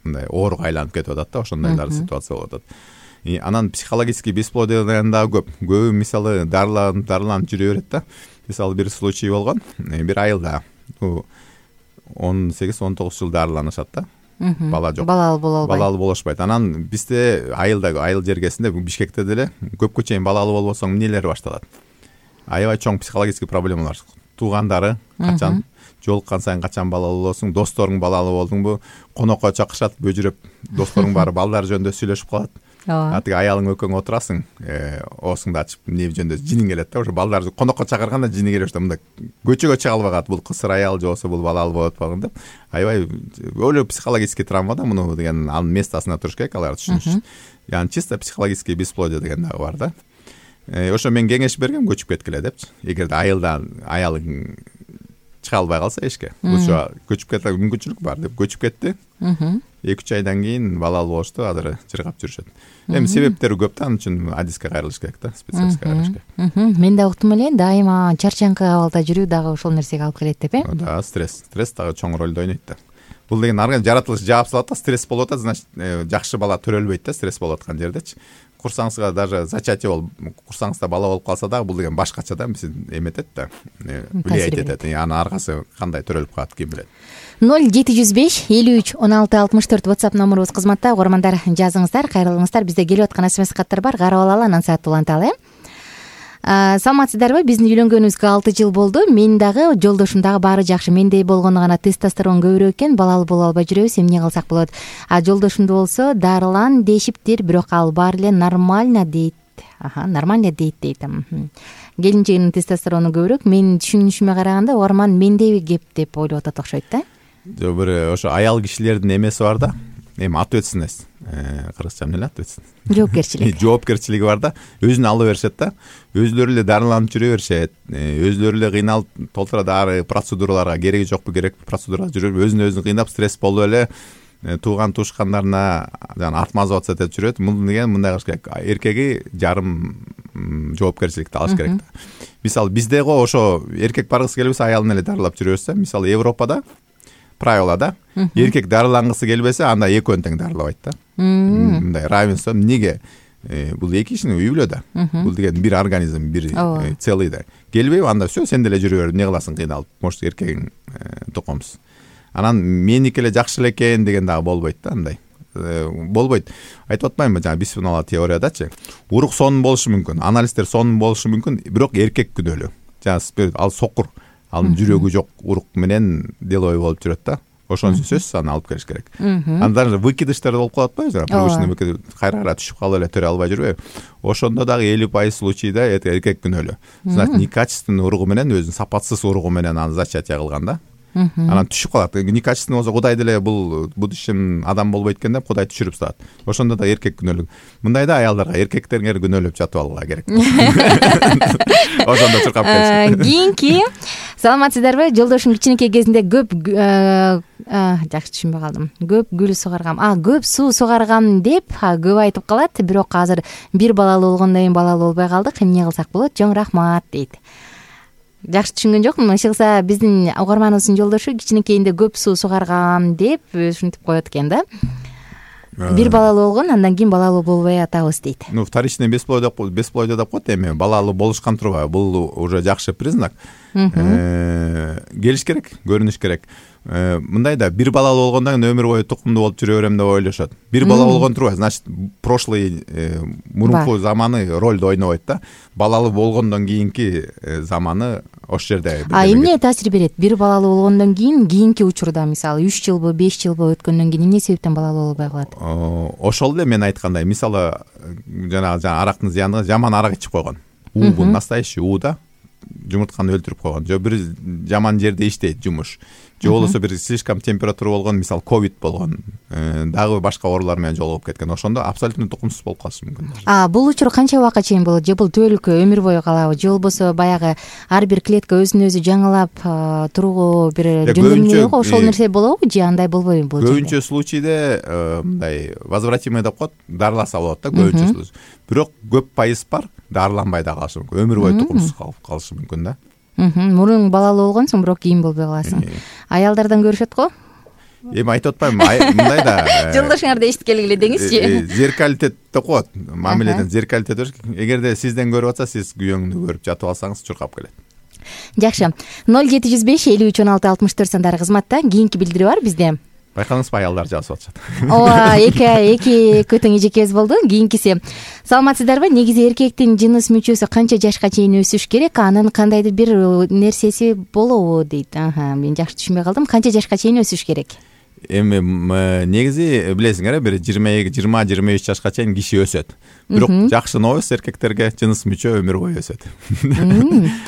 мындай ооруга айланып кетип атат да, ошондойлар ситуация болуп атат. Анан психологический бесплодие дагы көбү мисалы дарыланып жүрө берет да. Мисалы бир случай болгон, бир айылда 18-19 жыл дарыланышат да. Бала жок. Балалуу боло албайт. Балалуу болушпайт. Анан бизде айыл жергесинде Бишкекте деле көпкө чейин балалуу болбосоң эмнелер башталат? Аябай чоң психологический проблемалар. Туугандары качан жолуккан сайын качан балалуу болосуң, досторуң балалуу болдуңбу, конокко чакырышат, бөжүрөп досторуң барып балдар жөнүндө сүйлөшүп калат. Атыга аялың экөөң отурасың, оосуңду ачып эмне жөнүндө жиниң келет да, ошо балдарды конокко чакырганда жини келип ошто мындай көчөгө чыга албай калат, бул кысыр аял же болбосо бул балалуу болуп атпаган деп. Аябай өлө психологический травма да, муну деген анын местосуна туруш керек алар түшүнүш. Яны чисто психологический бесплодие деген дагы бар да. Ошо мен кеңеш бергем, көчүп кеткиле депчи. Эгерде аялың чыга албай калса эшке, ошо көчүп кетсе мүмкүнчүлүк бар деп көчүп кетти. 2-3 айдан кийин балалуу болушту, азыр жыргап жүрүшөт. Эми себептери көп да, анын үчүн адиске кайрылыш керек да, специалистке кайрылыш керек. Мен да уктум эле, дайыма чарчаңкы абалда жүрүү дагы ошол нерсеге алып келет деп, Да, стресс дагы чоң ролду ойнойт да. Бул деген арган жаратылыш жаап салат да, стресс болуп атат, значит жакшы бала төрөлбөйт да, стресс болуп аткан жердечи. Курсаңызга даже зачатие болуп, курсаңызда бала болуп калса дагы бул деген башкача да, биз эметет да, влиять этет. Анын аргасы кандай төрөлүп калат, ким билет. 0705 53 16 64 WhatsApp номерубуз кызматта. Угармандар, жазыңыздар, кайрылыңыздар. Бизде келип аткан SMS каттар бар, карап алалы, анан саат уланталы. Саламатсыздарбы? Биздин үйлөнгөнүбүзгө 6 жыл болду. Мен дагы, жолдошум дагы баары жакшы. Менде болгону гана тестостерон көбүрөөк экен, балалуу боло албай жүрөбүз. Эмне кылсак болот? Жолдошумду болсо дарылан дешиптир, бирок ал баары эле нормально дейт. Нормально дейт. Келинчегинин тестостерону көбүрөөк. Менин түшүнүшүмө караганда, угарман мендеби кеп деп ойлоп атат окшойт да. Бир ошо аял кишилердин эмеси бар да. Эми ответственность, кыргызча эмне ответственность? Жоопкерчилиги бар да. Өзүн ала беришет да. Өзүлөрү эле дарыланып жүрө беришет. Өзүлөрү эле кыйналып толтура дары процедураларга кереги жокпу, керек процедурага жүрүп, өзүн кыйнап, стресс болуп эле тууган тушкандарына жана отмазываться этип жүрөт. Мындай кылыш керек. Эркеги жарым жоопкерчиликти алыш керек да. Мисалы бизде го ошо эркек баргысы келбесе аялын эле дарылап жүрө берсе, мисалы Европада правила да, эркек дарылангысы келбесе анда экөөнү тең дарылабайт да. Мындай равенство. Эмнеге? Бул эки кишинин үй бүлө да. Бул деген бир организм, бир целый да. Келбейби, анда все, сен деле жүрө бер, эмне кыласың, кыйналып. Может, эркегиң тукумсуз. Анан меники эле жакшы эле экен деген дагы болбойт да, андай. Болбойт. Айтып атпаймынбы, жана бисфенол теориядачы. Урук сонун болушу мүмкүн, анализдер сонун болушу мүмкүн, бирок эркек күнөөлүү. Жана ал сокур. Анын жүрөгү жок урук менен деловой болуп жүрөт да. Ошонун сөзсүз аны алып келиш керек. Андан выкидыштар болуп калат атпайбы? Привычный кайра түшүп калып эле төрө албай жүрбөйбү? Ошондо дагы 50% случайда эркек күнөөлүү. Значит, некачественный уругу менен, өзүнүн сапатсыз уругу менен аны зачатие кылган да. Анан түшүп калат. Некачественный болсо Кудай деле бул будущем адам болбойт экен деп Кудай түшүрүп салат. Ошондо да эркек күнөөлүү. Мындайда аялдарга эркектериңер күнөөлөп жатып алга керек. Ошондо чуркап келиш. Кийинки саламатсыздарбы? Жолдошум кичинекей кезинде көп жакшы түшүнбөй калдым. Көп гүл сугаргам. Көп суу сугаргам деп көп айтып калат. Бирок азыр бир балалуу болгондон кийин балалуу болбой калдык. Эмне кылсак болот? Жоң рахмат дейт. Жакшы түшүнгөн жокмун. Ишыкса биздин угарманыбыздын жолдошу кичинекейинде көп суу сугаргам деп ушинтип коет экен да. Бир балалуу болгон, андан кийин балалуу болбой атабыз дейт. Вторичный бесплодие деп коет, эми балалуу болушкан турбайбы? Бул уже жакшы признак. Келиш керек, көрүнүш керек. Мындай да, бир балалуу болгондон кийин өмүр бою тукумдуу болуп жүрө берем деп ойлошот. Бир бала болгон турбайбы? Значит, прошлый мурунку заманы ролду ойнобойт да. Балалуу болгондон кийинки заманы ошол жерде. Эмне таасир берет бир балалуу болгондон кийинки учурда, мисалы 3 жылбы 5 жылбы өткөндөн кийин эмне себептен балалуу болбой калат? Ошол эле мен айткандай, мисалы жанагы арактын зыяны, жаман арак ичип койгон. Бул настоящий да, жумуртканы өлтүрүп койгон. Же бир жаман жерде иштейт жумуш. Же болбосо бир слишком температура болгон, мисалы ковид болгон, дагы башка оорулар менен жолугуп кеткен. Ошондо абсолютно тукумсуз болуп калышы мүмкүн. Бул учур канча убакытка чейин болот? Же бул түбөлүккө өмүр бою калабы? Же болбосо баягы ар бир клетка өзүн өзү жаңылап турууга бир жөндөмү бар, ошол нерсе болобу же андай болбойбу бул жерде? Көбүнчө случайда мындай возвратимый деп коет, дарыласа болот да көбүнчө случай. Бирок көп пайыз бар, дарыланбай да калышы мүмкүн. Өмүр бою тукумсуз калып калышы мүмкүн да. Мурун балалуу болгонсуң, бирок кийин болбой каласың. Аялдардан көрүшөт го? Эми айтып атпайбы, мындай да. Жолдошуңарды эшиткеле эле деңизчи. Зеркалитет деп коет, мамиледен зеркалитет бериш. Эгерде сизден көрүп атса, сиз күйөөңдү көрүп жатып алсаңыз чуркап келет. Жакшы. 0705 53 16 64 сандары кызматта. Кийинки билдирүү бар бизде. Байкадыңызбы, аялдар жазып атышат. Ооба, эки көтөң эжекебиз болду. Кийинкиси. Саламатсыздарбы? Негизи эркектин жыныс мүчөсү канча жашка чейин өсүш керек? Анын кандайдыр бир нерсеси болобу дейт. Мен жакшы түшүнбөй калдым. Канча жашка чейин өсүш керек? Эми негизи билесиңер, бир 20-23 жашка чейин киши өсөт. Бирок жакшы новость, эркектерге жыныс мүчө өмүр бою өсөт.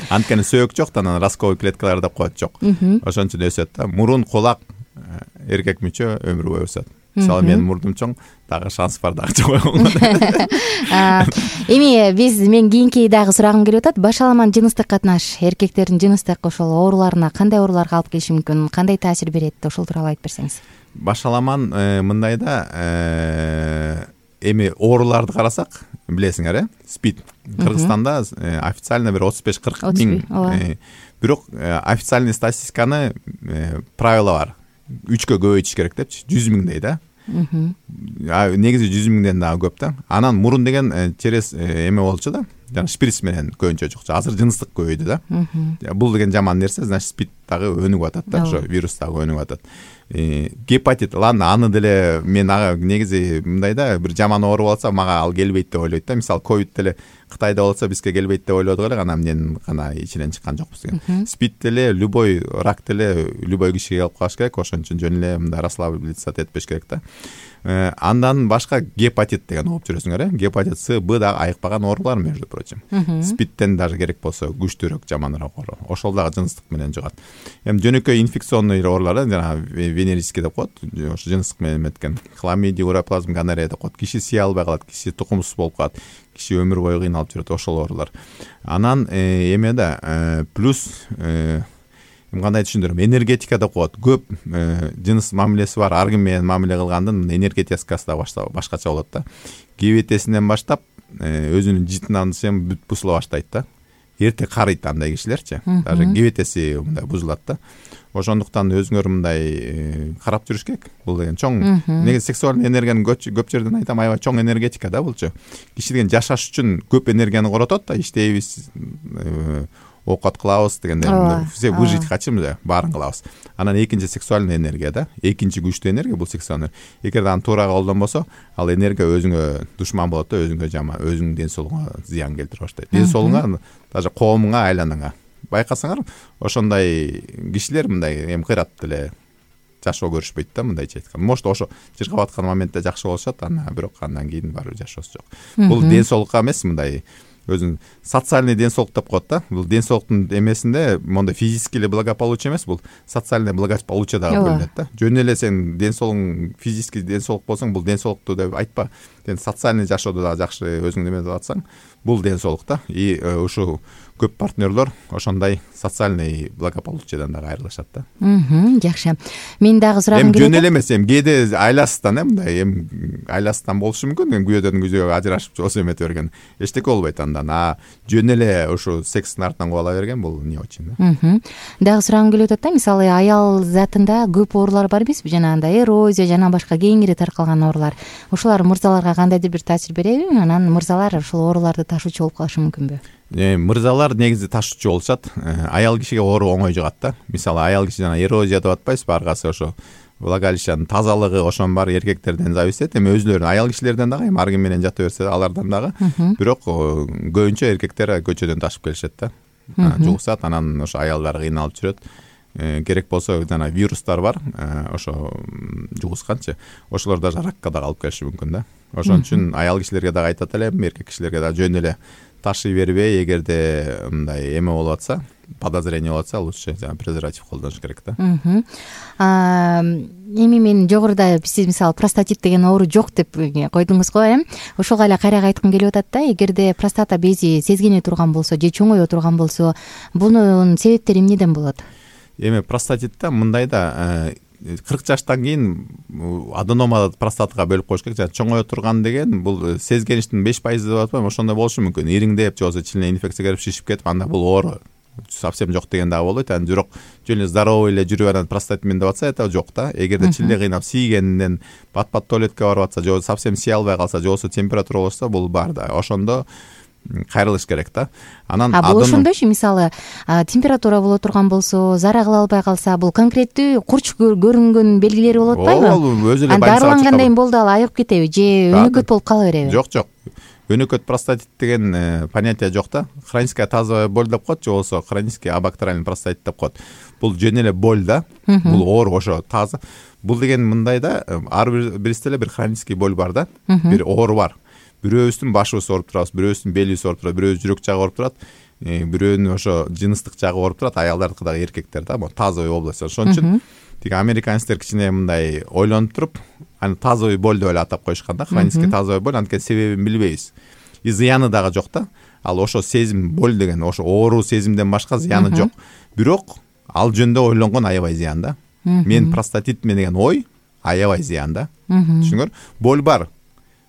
Анткени сөйөк жок да, анан расковый клеткалар деп коет жок. Ошон үчүн өсөт да. Мурун, кулак, эркек мүчө өмүр бою өсөт. Мисалы менин мурдум чоң, дагы шанс бар, дагы чоң. Эми мен кийинки дагы сурагым келип атат. Башаламан жыныстык катнаш эркектердин жыныстык ошол ооруларына кандай ооруларга алып келиши мүмкүн? Кандай таасир берет? Ошол тууралуу айтып берсеңиз. Башаламан мындай да, эми ооруларды карасак, билесиңер, СПИД. Кыргызстанда официально бир 35-40 миң. Бирок официальный статистиканы правила бар. 3кө көбөйтүш керек депчи, 100 миңдей да. Негизи 100 миңден дагы көп да. Анан мурун деген через эме болчу да, жана шприц менен көбүнчө жукчу. Азыр жыныстык көбөйдү да. Бул деген жаман нерсе, значит СПИД дагы өнүгүп атат да, ошо вирус дагы өнүгүп атат. Гепатит, ладно, аны деле мен негизи мындай да, бир жаман оору болсо мага ал келбейт деп ойлойт да. Мисалы ковид деле Кытайда болсо бизге келбейт деп ойлодук эле, анан эмнен гана ичинен чыккан жокпуз деген. СПИД деле, любой рак деле любой кишиге келип калыш керек, ошон үчүн жөн эле мындай расслабляться этпеш керек да. Андан башка гепатит деген угуп жүрөсүңөр, гепатит С, Б дагы айыкпаган оорулар, между прочим. СПИДтен даже керек болсо күчтүүрөөк, жаманыраак оору. Ошол дагы жыныстык менен жугат. Эми жөнөкөй инфекционный оорулар, жана венерический деп коет, ошо жыныстык менен өткөн. Хламидия, уроплазм, гонорея деп коет. Киши сыя албай калат, киши тукумсуз болуп калат, киши өмүр бою кыйналып жүрөт, ошол оорулар. Анан эме да, плюс кандай түшүндүрөм, энергетика деп коет. Көп жыныс мамилеси бар, ар ким менен мамиле кылгандын энергетикасы да башкача болот да. Кебетесинен баштап өзүнүн житинансын бүт бузула баштайт да. Эрте карыйт андай кишилерчи. Даже кебетеси мындай бузулат да. Ошондуктан өзүңөр мындай карап жүрүш керек. Бул деген чоң, негизи сексуалдык энергиянын көп жерден айтам, аябай чоң энергетика да булчу. Киши деген жашаш үчүн көп энергияны коротот да, иштейбиз, оокат кылабыз дегенде, все выжить хотим да, баарын кылабыз. Анан экинчи сексуальный энергия да, экинчи күчтүү энергия бул сексуальный. Эгерде аны туура колдонбосо, ал энергия өзүңө душман болот да, өзүңө жаман, өзүңдүн ден соолугуңа зыян келтире баштайт. Ден соолугуңа, даже коомуңа, айланаңа. Байкасаңар, ошондой кишилер мындай эми кыйрат деле жашоо көрүшпөйт да, мындайча айтканда. Может, ошо жыргап аткан моментте жакшы болушат, бирок андан кийин барып жашоосу жок. Бул ден соолукка эмес, мындай өзүн социальный ден соолук деп коет да. Бул ден соолуктун эмесинде мондай физический эле благополучие эмес, бул социальный благополучие дагы бөлүнөт да. Жөн эле сен ден соолугуң физический ден соолук болсоң, бул ден соолукту деп айтпа. Сен социальный жашоодо дагы жакшы өзүңдү эметип атсаң, бул ден соолук да. И ушу көп партнерлор ошондой социальный благополучиеден дагы айрылышат да. Жакшы. Мен дагы сурагым келет. Жөн эле эмес, кээде айласыздан мындай айласыздан болушу мүмкүн. Күйөөдөн күйөөгө ажырашып осо эметип берген. Эчтеке болбойт андан. Жөн эле ушу секстин артынан кубала берген, бул не очень да. Дагы сурагым келип атат да, мисалы аял затында көп оорулар бар эмеспи? Жанагындай эрозия, жана башка кеңири таркалган оорулар. Ошолар мырзаларга кандайдыр бир таасир береби? Анан мырзалар ошол ооруларды ташуучу болуп калышы мүмкүнбү? Мырзалар негизи ташуучу болушат. Аял кишиге оору оңой жугат да. Мисалы аял киши жана эрозия деп атпайсызбы, аргасы ошо влагалищанын тазалыгы ошон бар, эркектерден зависит. Эми өзүлөрүнүн аял кишилерден дагы, аргы менен жата берсе алардан дагы. Бирок көбүнчө эркектер көчөдөн ташып келишет да. жугушат, анан ошо аялдар кыйналып жүрөт. Керек болсо жана вирустар бар, ошо жугусканчы ошолор даже ракка да алып келиши мүмкүн да. Ошон үчүн аял кишилерге дагы айтат элем, эркек кишилерге дагы жөн эле ташый бербей, эгерде мындай эме болуп атса, подозрение болуп атса, лучше презерватив колдонуш керек да. Эми мен жогоруда сиз мисалы простатит деген оору жок деп койдуңуз го, ошого эле кайра айткым келип атат да. Эгерде простата бези сезгене турган болсо же чоңое турган болсо, бунун себептери эмнеден болот? Эми простатитте мындай да, 40 жаштан кийин аденома простатага бөлүп коюш керек. Чоңое турган деген бул сезгеништин 5% деп атпайбы, ошондой болушу мүмкүн. Ириңдеп же болбосо ичине инфекция кирип шишип кетип, анда бул оору совсем жок деген дагы болот. Аны бирок жөн эле здоровый эле жүрүп анан простатит мен деп атса, это жок да. Эгерде чилде кыйнап тийгенден бат-бат туалетке барып атса, же болбосо совсем сый албай калса, же болбосо температура болса, бул бар да. Ошондо кайрылыш керек да. Анан бул ошондойчу, мисалы температура боло турган болсо, зара кыла албай калса, бул конкреттүү курч көрүнгөн белгилери болуп атпайбы? Ооба, өзү эле дарылангандан кийин болду ал айыгып кетеби же өнөкөт болуп кала береби? Жок. Өнөкөт простатит деген понятие жок да. Хроническая тазовая боль деп коет, же болбосо хронический абактериальный простатит деп коет. Бул жөн эле боль да. Бул оору ошо таза. Бул деген мындай да, ар биристе эле бир хронический боль бар да. Бир оору бар. Бирөөбүздүн башыбыз ооруп турат, бирөөбүздүн белибиз ооруп турат, бирөөбүз жүрөк жагы ооруп турат, бирөөнүн ошо жыныстык жагы ооруп турат, аялдардыкы дагы эркектер да, бул тазовый область. Ошон үчүн тиги американецтер кичине мындай ойлонуп туруп, аны тазовый боль деп эле атап коюшкан да, хронический тазовый боль, анткени себебин билбейбиз. И зыяны дагы жок да. Ал ошо сезим, боль деген ошо оору сезимден башка зыяны жок. Бирок ал жөндө ойлонгон аябай зыян да. Мен простатит мен деген ой аябай зыян да. Түшүңөр? Боль бар,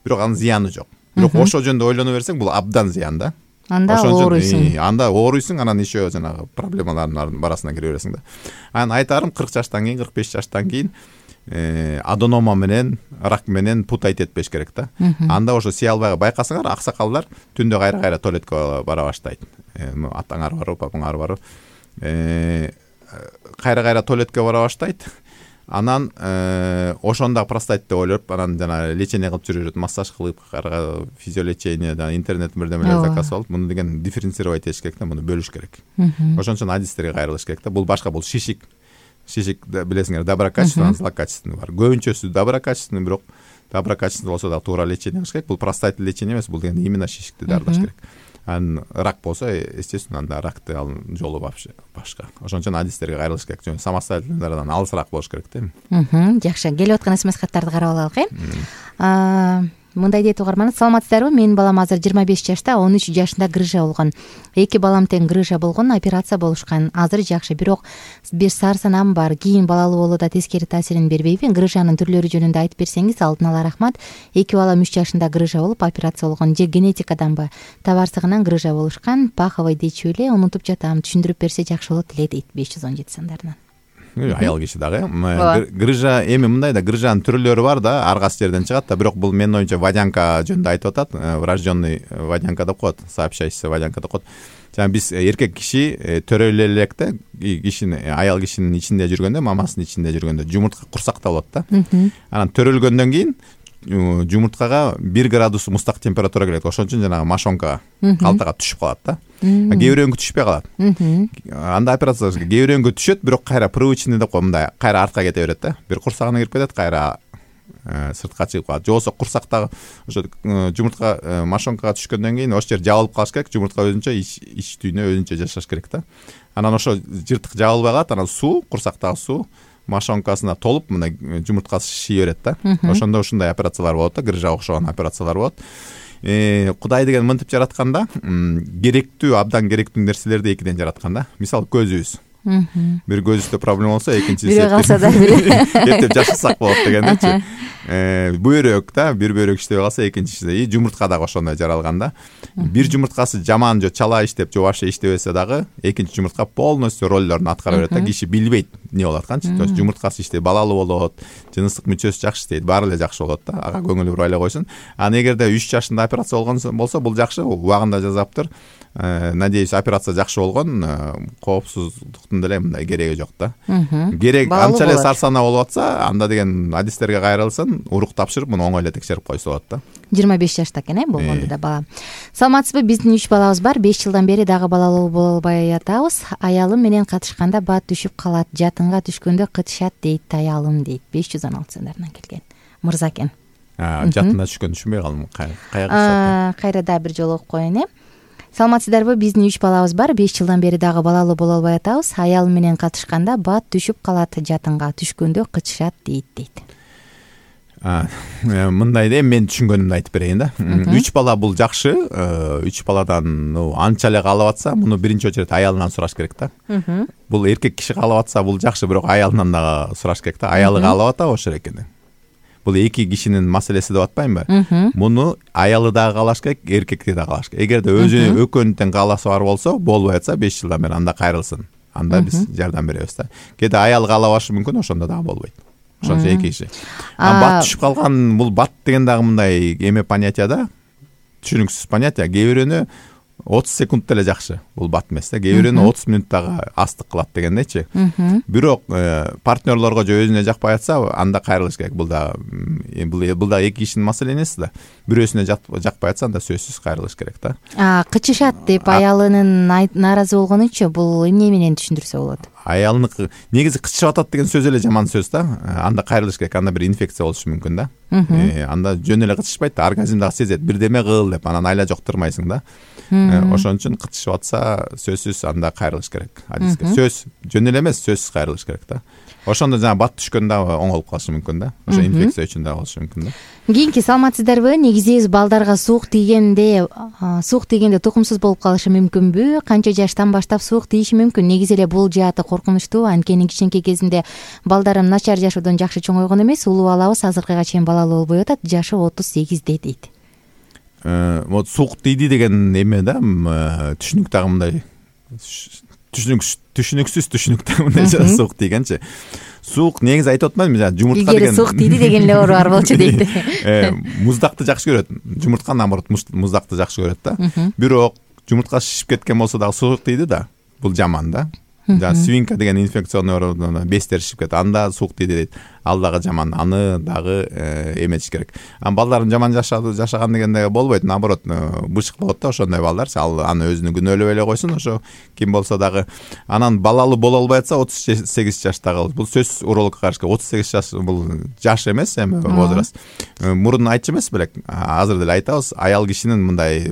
бирок анын зыяны жок. Бирок ошо жөндө ойлоно берсең, бул абдан зыян да. Анда ооруйсуң. Анда ооруйсуң, анан еще жанагы проблемалардын арасына кире бересиң да. Анан айтарым 40 жаштан кийин, 45 жаштан кийин аденома менен, рак менен путать этпеш керек да. Анда ошо сый албай байкасаңар, аксакалдар түндө кайра туалетке бара баштайт. Атаңар барбы, папаңар барбы? Кайра туалетке бара баштайт. Анан ошондо простатит деп ойлоп, анан жана лечение кылып жүрүп, массаж кылып, физиолечение, интернет бирдемелер заказ алып, муну деген дифференцировать этиш керек да, муну бөлүш керек. Ошон үчүн адистерге кайрылыш керек да. Бул башка, бул шишик билесиңер, доброкачественный, злокачественный бар. Көбүнчөсү доброкачественный, бирок доброкачественный болсо да туура лечение кылыш керек. Бул простатит лечение эмес, бул деген именно шишикти дарылаш керек. Анан рак болсо, естественно, анда ракты жолу башка. Ошон үчүн адистерге кайрылыш керек. Самостоятельныйдан алысыраак болуш керек да. Жакшы, келип аткан смс каттарды карап алайлык. Мындай дейт угарман: саламатсыздарбы? Менин балам азыр 25 жашта, 13 жашында грыжа болгон. 2 балам тең грыжа болгон, операция болушкан. Азыр жакшы, бирок бир сарсанам бар. Кийин балалуу болуу да тескери таасирин бербейби? Грыжанын түрлөрү жөнүндө айтып берсеңиз, алдын ала рахмат. 2 балам 3 жашында грыжа болуп, операция болгон. Же генетикаданбы? Табарсыгынан грыжа болушкан. Паховый дечү эле, унутуп жатам. Түшүндүрүп берсе жакшы болот эле, дейт 517 сандарынан. Аял киши дагы. Грыжа эми мындай да, грыжанын түрлөрү бар да, ар кайсы жерден чыгат да, бирок бул менин оюмча водянка жөнүндө айтып атат. Врожденный водянка деп коет, сообщающийся водянка деп коет. Жана биз эркек киши төрөлө элек да, аял кишинин ичинде жүргөндө, мамасынын ичинде жүргөндө жумуртка курсакта болот да. Анан төрөлгөндөн кийин жумурткага 1 градус мустак температура келет. Ошон үчүн жанагы мошонкага, калтага түшүп калат да. Кээ бирөөнгө түшпөй калат. Анда операция кээ бирөөнгө түшөт, бирок кайра привычный деп кой, мындай кайра артка кете берет да. Бир курсагына кирип кетет, кайра сыртка чыгып калат. Же болбосо курсактагы ошо жумуртка мошонкага түшкөндөн кийин ошол жер жабылып калыш керек. Жумуртка өзүнчө ич түйүнө өзүнчө жашаш керек да. Анан ошо жыртык жабылбай калат, анан суу, курсактагы суу мошонкасына толуп, мына жумурткасы шиши берет да. Ошондо ушундай операциялар болот да, грыжа окшогон операциялар болот. Кудай деген мынтип жаратканда, керектүү, абдан керектүү нерселерди экиден жараткан да. Мисалы көзүбүз. Бир көзүбүздө проблема болсо, экинчиси бирөө калса да эптеп жашасак болот дегендечи. Бөйрөк да, бир бөйрөк иштебей калса, экинчиси и жумуртка дагы ошондой жаралган да. Бир жумурткасы жаман же чала иштеп, же вообще иштебесе дагы, экинчи жумуртка полностью роллорун аткара берет да. Киши билбейт эмне болуп атканчы. То есть жумурткасы иштейт, балалуу болот, жыныстык мүчөсү жакшы иштейт, баары эле жакшы болот да. Ага көңүлү бурбай эле койсун. Анан эгерде 3 жашында операция болгон болсо, бул жакшы, убагында жасаптыр. Надеюсь, операция жакшы болгон, коопсуздуктун деле мындай кереги жок да. Керек анча эле сарсана болуп атса, анда деген адистерге кайрылсын, урук тапшырып, муну оңой эле текшерип койсо болот да. 25 жашта экен болгондо да бала. Саламатсызбы? Биздин 3 балабыз бар. 5 жылдан бери дагы балалуу боло албай атабыз. Аялым менен катышканда бат түшүп калат, жатынга түшкөндө кытышат дейт аялым дейт. 516 сандарынан келген мырза экен. Жатына түшкөндө түшүнбөй калдым. Кайра дагы бир жолу окуп коеюн. Саламатсыздарбы? Биздин 3 балабыз бар. 5 жылдан бери дагы балалуу боло албай атабыз. Аялым менен катышканда бат түшүп калат, жатынга түшкөндө кытышат дейт. Мындай да, мен түшүнгөнүмдү айтып берейин да. 3 бала бул жакшы. 3 баладан анча эле каалап атса, муну биринчи очередь аялынан сураш керек да. Бул эркек киши каалап атса, бул жакшы, бирок аялынан дагы сураш керек да. Аялы каалап атабы ошол экен. Бул эки кишинин маселеси деп атпаймынбы? Муну аялы дагы каалаш керек, эркекти дагы каалаш керек. Эгерде өзү экөөнүн кааласы бар болсо, болбой атса 5 жылдан бери анда кайрылсын. Анда биз жардам беребиз да. Кээде аялы каалабашы мүмкүн, ошондо дагы болбойт. Ошончо эки киши. Бат түшүп калган, бул бат деген дагы мындай эме понятие да. Түшүнүксүз понятие. Кээ бирөөнү 30 секунд эле жакшы. Бул бат эмес да. Кээ бирөөнү 30 мүнөт дагы астык кылат дегендейчи. Бирок партнерлорго же өзүнө жакпай атса, анда кайрылыш керек. Бул да эки кишинин маселеси да. Бирөөсүнө жакпай атса, анда сөзсүз кайрылыш керек да. Кычышат деп аялынын нааразы болгонучу, бул эмне менен түшүндүрсө болот? Аялынык негизи кычышып атат деген сөз эле жаман сөз да. Анда кайрылыш керек. Анда бир инфекция болушу мүмкүн да. Анда жөн эле кычышпайт, оргазм дагы сезет. Бирдеме кыл деп, анан айла жоктурмайсың да. Ошон үчүн кычышып атса, сөзсүз анда кайрылыш керек. Адиске сөз жөн эле эмес, сөзсүз кайрылыш керек да. Ошондо жана бат түшкөндө оңолуп калышы мүмкүн да. Ошо инфекция үчүн дагы болушу мүмкүн да. Кийинки саламатсыздарбы? Негизи балдарга суук тийгенде тукумсуз болуп калышы мүмкүнбү? Канча жаштан баштап суук тийиши мүмкүн? Негизи эле бул жааты коркунучтуу. Анткени кичинекей кезинде балдарым начар жашоодон жакшы чоңойгон эмес. Улуу балабыз азыркыга чейин балалуу болбой атат. Жашы 38 дейт. Вот суук тийди деген эме да, түшүнүк дагы мындай түшүнүксүз түшүнүктө мындай суук тийгенчи. Суук негизи айтып атпаймынбы, жумуртка деген. Суук тийди деген эле оору бар болчу дейт. Муздакты жакшы көрөт. Жумуртка наоборот муздакты жакшы көрөт да. Бирок жумуртка шишип кеткен болсо дагы суук тийди да. Бул жаман да. Свинка деген инфекционный оору, бестер шишип кетет. Анда суук тийди дейт. Ал дагы жаман. Аны дагы эметиш керек. Балдарын жаман жашаган дегенде болбойт. Наоборот, бышык болот да ошондой балдар. Ал аны өзүнү күнөөлөп эле койсун, ошо ким болсо дагы. Анан балалуу боло албай атса 38 жаштагы. Бул сөз урологко каршы. 38 жаш бул жаш эмес, эми возраст. Мурун айтчу эмес белек. Азыр деле айтабыз, аял кишинин мындай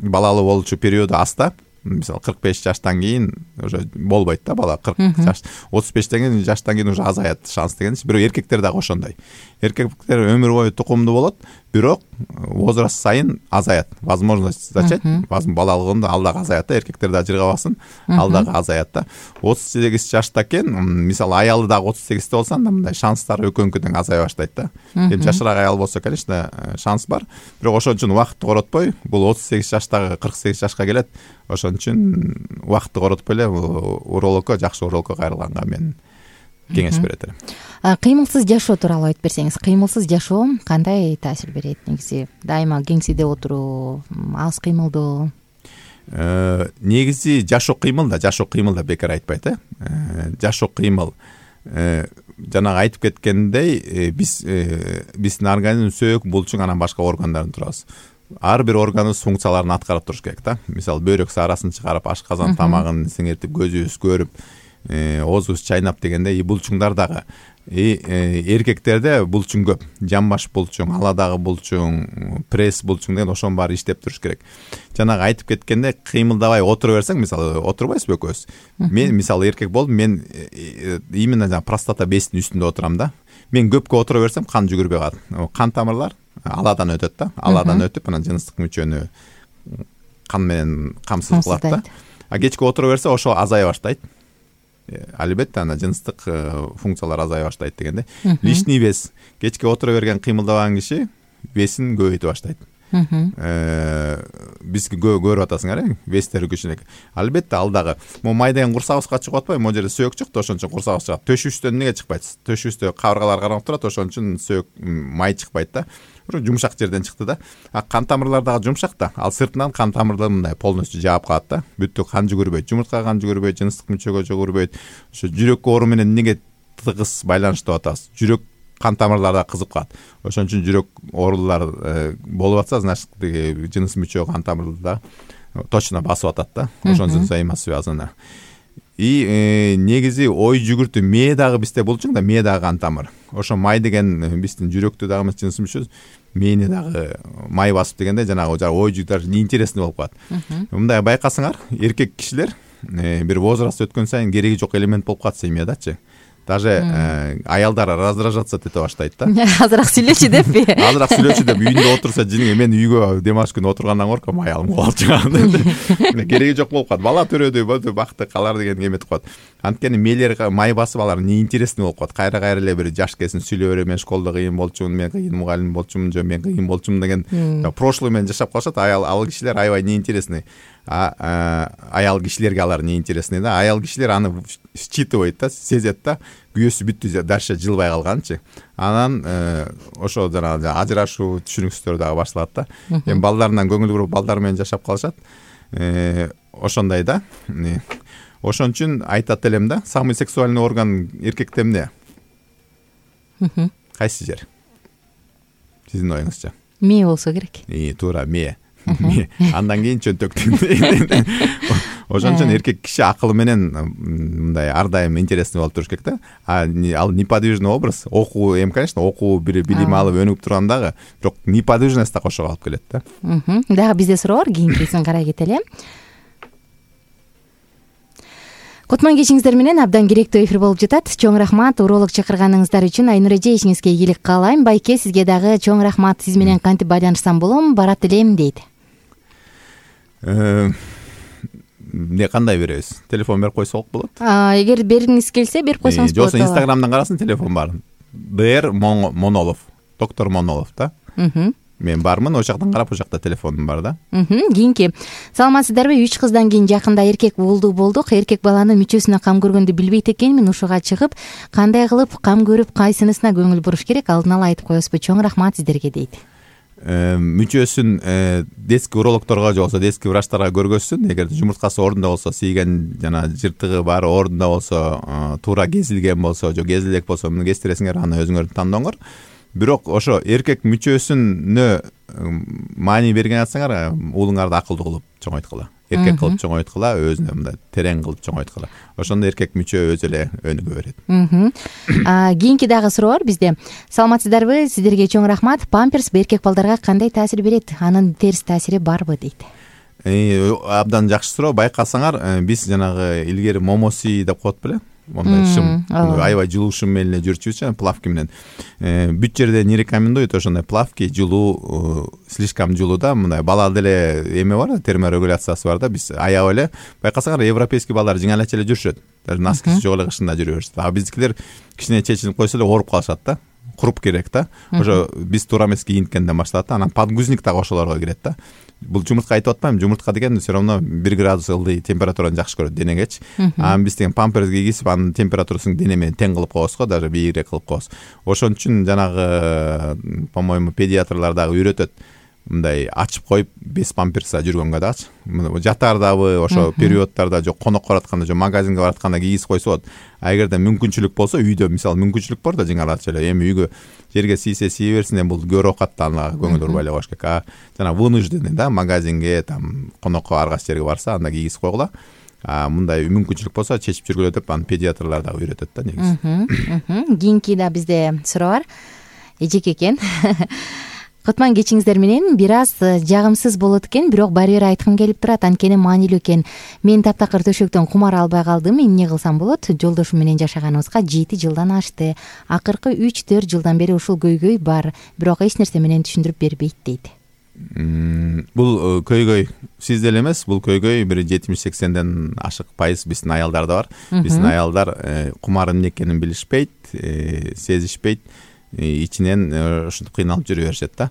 балалуу болчу периоду аста. Мисалы 45 жаштан кийин уже болбойт да бала. 40 жаш, 35 жаштан кийин уже азаят шанс деген. Бирок эркектер дагы ошондой. Эркектер өмүр бою тукумдуу болот, бирок возраст сайын азаят. Возможность зачать, балалыгында ал дагы азаят да, эркектер дагы жыргабасын, ал дагы азаят да. 38 жашта экен, мисалы аялы дагы 38 болсо, анда мындай шанстар экөөнүкү тең азая баштайт да. Жашыраак аял болсо, конечно, шанс бар. Бирок ошон үчүн убакытты коротпой, бул 38 жаштагы 48 жашка келет. Ошон үчүн убакытты коротпой эле урологко, жакшы урологко кайрылганга мен кеңеш берет элем. Кыймылсыз жашоо тууралуу айтып берсеңиз, кыймылсыз жашоо кандай таасир берет? Негизи дайыма кеңседе отуруу, аз кыймылдоо. Негизи жашоо кыймыл да бекер айтпайт, жашоо кыймыл. Жанагы айтып кеткендей, биздин организм сөөк, булчуң, анан башка органдардан турабыз. Ар бир органыбыз функцияларын аткарып туруш керек да. Мисалы бөйрөк саарасын чыгарып, ашказан тамагын сиңиртип, көзүбүз көрүп, оозубуз чайнап дегенде булчуңдар дагы. Эркектерде булчуң көп. Жамбаш булчуң, аладагы булчуң, пресс булчуң деген ошонун баары иштеп туруш керек. Жанагы айтып кеткенде кыймылдабай отура берсең, мисалы отурбайсызбы экөөбүз? Мен мисалы эркек болуп, мен именно простата безинин үстүндө отурам да. Мен көпкө отура берсем, кан жүгүрбөй калат. Кан тамырлар аладан өтөт да. Аладан өтүп, анан жыныстык мүчөнү кан менен камсыз кылат да. Кечке отура берсе, ошо азая баштайт. Албетте ана жыныстык функциялар азая баштайт дегенде. Лишний вес. Кечке отура берген, кыймылдабаган киши весин көбөйтө баштайт. Биз көрүп атасыңар, вестери күчүнөк. Албетте ал дагы май деген курсагыбызга чыгып атпайбы? Могу жерде сөөк чыкты, ошон үчүн курсагыбыз чыгат. Төшүбүздөн эмнеге чыкпайт? Төшүбүздө кабыргалар караңып турат, ошон үчүн сөөк май чыкпайт да. Жумшак жерден чыкты да. Кан тамырлар дагы жумшак да. Ал сыртынан кан тамырлары мындай полностью жаап калат да. Бүттү кан жүгүрбөйт. Жумуртка кан жүгүрбөйт, жыныстык мүчөгө жүгүрбөйт. Ошо жүрөк оору менен эмнеге тыгыз байланыштуу атабыз? Жүрөк кан тамырлар да кызып калат. Ошон үчүн жүрөк оорулар болуп атса, значит жыныс мүчө кан тамырда точно басып атат да. Ошонун взаимосвязаны. И негизи ой жүгүртүү мээ дагы бизде болчу да, мээ дагы кан тамыр. Ошо май деген биздин жүрөктү дагы эмес жыныс мүчөбүз. Мээни дагы май басып дегенде жанагы ой жүгүртүү интересный болуп калат. Мындай байкасаңар, эркек кишилер бир возраст өткөн сайын кереги жок элемент болуп калат семьядачы. Даже аялдар раздражаться эте баштайт да. Азыраак сүйлөчү деппи? Азыраак сүйлөчү деп үйүндө отурса, жиниң мен үйгө демалыш күнү отургандан корком, аялым калып чыгат. Кереги жок болуп калат. Бала төрөдү, бакты калар деген эметип коет. Анткени мээлер май басып алар неинтересный болуп калат. Кайра эле бир жаш келсин сүйлөп берем, мен школдо кыйын болчумун, мен кыйын мугалим болчумун, же мен кыйын болчумун деген прошлый менен жашап калышат. Ал кишилер аябай неинтересный. Аял кишилерге алар неинтересный да. Аял кишилер аны считывайт да, сезет да. Күйөөсү бүттү, дальше жылбай калганчы. Анан ошо жанагы ажырашуу түшүнүксүздөр дагы башталат да. Эми балдарынан көңүл буруп балдар менен жашап калышат. Ошондой да. Ошон үчүн айтат элем да, самый сексуальный орган эркекте эмне? Кайсы жер? Сиздин оюңузча? Мээ болсо керек. Туура, мээ. Андан кийин чөнтөктүн. Ошон үчүн эркек киши акылы менен мындай ар дайым интересный болуп туруш керек да. Ал неподвижный образ, окуу конечно, окуу бир билим алып өнүгүп турган дагы, бирок неподвижность да кошо калып келет да. Дагы бизде суроо бар, кийинкисин карай кетели. Кутман кечиңиздер менен абдан керектүү эфир болуп жатат. Чоң рахмат уролог чакырганыңыздар үчүн. Айнур эже, ишиңизге ийгилик каалайм. Байке, сизге дагы чоң рахмат. Сиз менен кантип байланышсам болом, барат элем дейт. Эмне кандай беребиз? Телефон берип койсок болот? Эгер бергиңиз келсе берип койсоңуз болот. Жоксо Инстаграмдан карасын, телефон бар. Д.Р. Монолов, доктор Монолов да. Мен бармын, ошол жактан карап, ошол жакта телефонум бар да. Кийинки. Саламатсыздарбы? 3 кыздан кийин жакында эркек болдук. Эркек баланын мүчөсүнө кам көргөндү билбейт экенмин. Ушуга чыгып, кандай кылып кам көрүп, кайсынысына көңүл буруш керек? Алдын ала айтып коесузбу? Чоң рахмат сиздерге дейт. Мүчөсүн детский урологторго же болбосо детский врачтарга көргөзсүн. Эгер жумурткасы ордунда болсо, тийген жана жыртыгы бар ордунда болсо, туура кезилген болсо, же кезилек болсо, муну кестиресиңер, аны өзүңөр тандооңор. Бирок ошо эркек мүчөсүнө маани берген атсаңар, уулуңарды акылдуу кылып чоңойткула. Эркек кылып чоңойткула, өзүнө мындай терең кылып чоңойткула. Ошондо эркек мүчө өзү эле өнүгө берет. Кийинки дагы суроо бар бизде. Саламатсыздарбы? Сиздерге чоң рахмат. Памперс эркек балдарга кандай таасир берет? Анын терс таасири барбы дейт. Абдан жакшы суроо. Байкасаңар, биз жанагы илгери момоси деп коет беле? Мондай шым, аябай жылуу шым менен жүрчүбүз, плавки менен. Бүт жерде не рекомендуют ошондой плавки, жылуу, слишком жылуу да, мындай бала деле эме бар, терморегуляциясы бар да. Биз аябай эле байкасаңар, европейский балдар жиңелече эле жүрүшөт. Даже носкиси жок эле кышында жүрө беришет. А биздикилер кичине чечилип койсо эле ооруп калышат да. Куруп керек да. Ошо биз туура эмес кийинткенден башталат да. Анан подгузник дагы ошолорго кирет да. Бул жумуртка айтып атпайм, жумуртка деген все равно 1 градус ылдый температураны жакшы көрөт денегечи. Анан биз деген памперс кийгизип, анын температурасын дене менен тең кылып коебуз го, даже бийигирээк кылып коебуз. Ошон үчүн жанагы, по-моему, педиатрлар дагы үйрөтөт. Мындай ачып коюп, без памперса жүргөнгө дагычы. Жатардабы, ошо периодтарда, жок конокко баратканда, жок магазинге баратканда кийгизип койсо болот. А эгерде мүмкүнчүлүк болсо, үйдө мисалы мүмкүнчүлүк бар да жиңалачы эле, эми үйгө жерге тийсе сие берсин, эми бул көрө окатта ага көңүл бурбай эле коюш керек. А жана вынужденный да, магазинге, там конокко ар кайсы жерге барса, анда кийгизип койгула. Мындай мүмкүнчүлүк болсо чечип жүргүлө деп, аны педиатрлар дагы үйрөтөт да негизи. Кийинки да бизде суроо бар. Эжеке экен. Кутман кечиңиздер менен бир аз жагымсыз болот экен, бирок баары бир айткым келип турат, анткени маанилүү экен. Мен таптакыр төшөктөн кумар албай калдым. Эмне кылсам болот? Жолдошум менен жашаганыбызга 7 жылдан ашты. Акыркы 3-4 жылдан бери ушул көйгөй бар, бирок эч нерсе менен түшүндүрүп бербейт дейт. Бул көйгөй сизде эле эмес, бул көйгөй бир 70-80ден ашык пайыз биздин аялдарда бар. Биздин аялдар кумар эмне экенин билишпейт, сезишпейт. Ичинен ушинтип кыйналып жүрө беришет да.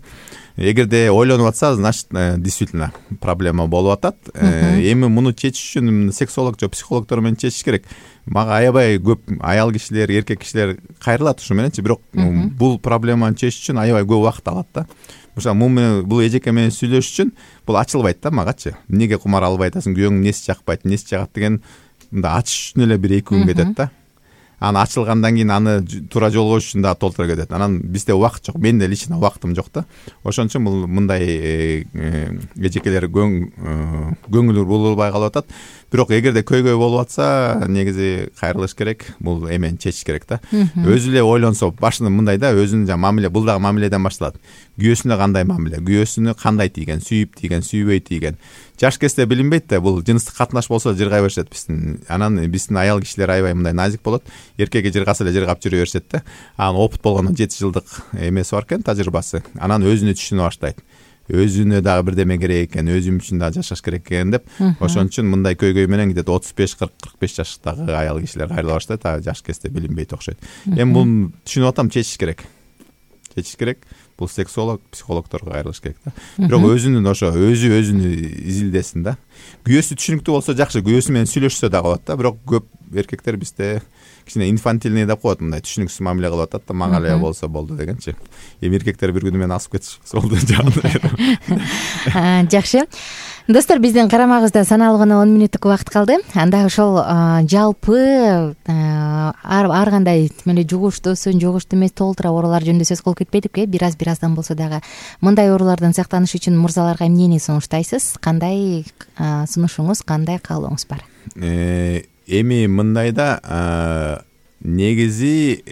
Эгерде ойлонуп атса, значит, действительно проблема болуп атат. Эми муну чечиш үчүн сексолог же психологдор менен чечиш керек. Мага аябай көп аял кишилер, эркек кишилер кайрылат ушу мененчи, бирок бул проблеманы чечиш үчүн аябай көп убакыт алат да. Мисалы, бул эжеке менен сүйлөшүш үчүн бул ачылбайт да магачы. Эмнеге кумар албай атасың, күйөөң эмнеси жакпайт, эмнеси жагат деген мындай ачыш үчүн эле 1-2 күн кетет да. Аны ачылгандан кийин аны туура жолго коюш үчүн дагы толтура кетет. Анан бизде убакыт жок. Менде лично убактым жок да. Ошон үчүн бул мындай эжекелер көңүл бурулбай калып атат. Бирок эгерде көйгөй болуп атса, негизи кайрылыш керек. Бул эмени чечиш керек да. Өзү эле ойлонсо, башында мындай да, өзүнүн жана мамиле, бул дагы мамиледен башталат. Күйөөсүнө кандай мамиле, күйөөсүнө кандай тийген, сүйүп тийген, сүйбөй тийген. Жаш кезде билинбейт да, бул жыныстык катнаш болсо жыргай беришет биздин. Анан биздин аял кишилер аябай мындай назик болот. Эркекке жыргаса эле жыргап жүрө беришет да. Анан опыт болгондон 7 жылдык эмеси бар экен, тажрыйбасы. Анан өзүнө түшүнө баштайт. Өзүнө дагы бирдеме керек экен, өзүм үчүн дагы жашаш керек экен деп. Ошон үчүн мындай көйгөй менен где-то 35-40-45 жаштагы аял кишилер кайрыла баштайт. Жаш кезде билинбейт окшойт. Эми бул түшүнүп атам, чечиш керек. Чечиш керек. Бул сексолог, психологдорго кайрылыш керек да. Бирок өзүнүн ошо өзүнү изилдесин да. Күйөөсү түшүнүктүү болсо жакшы, күйөөсү менен сүйлөшсө дагы болот да. Бирок көп эркектер бизде кичине инфантильный деп коет, мындай түшүнүксүз мамиле кылып атат да, мага эле болсо болду дегенчи. Эми эркектер бир күнү мени асып кетишсе болду жагында. Жакшы. Достор, биздин карамагыбызда саналуу гана 10 мүнөттүк убакыт калды. Анда ошол жалпы ар кандай эле жугуштуусун, жугуштуу эмес толтура оорулар жөнүндө сөз кылып кетпедикпи? Бир аздан болсо дагы мындай оорулардан сактаныш үчүн мырзаларга эмнени сунуштайсыз? Кандай сунушуңуз, кандай каалооңуз бар? Эми мындай да, негизи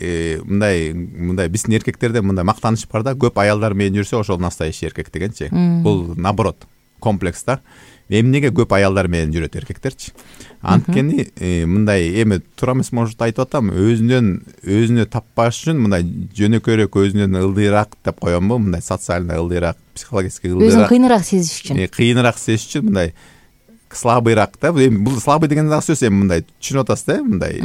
мындай биздин эркектерде мындай мактаныш бар да, көп аялдар менен жүрсө ошол настоящий эркек дегенчи. Бул наоборот комплекс да. Эмнеге көп аялдар менен жүрөт эркектерчи? Анткени мындай эми туура эмес может айтып атам, өзүнө таппаш үчүн мындай жөнөкөйрөөк, өзүнөн ылдыйраак деп коёмбу, мындай социально ылдыйраак, психологически ылдыйраак. Өзүн кыйыныраак сезиш үчүн. Кыйыныраак сезиш үчүн мындай слабыйраак да. Эми бул слабый деген дагы сөз, эми мындай түшүнүп атасыз да, мындай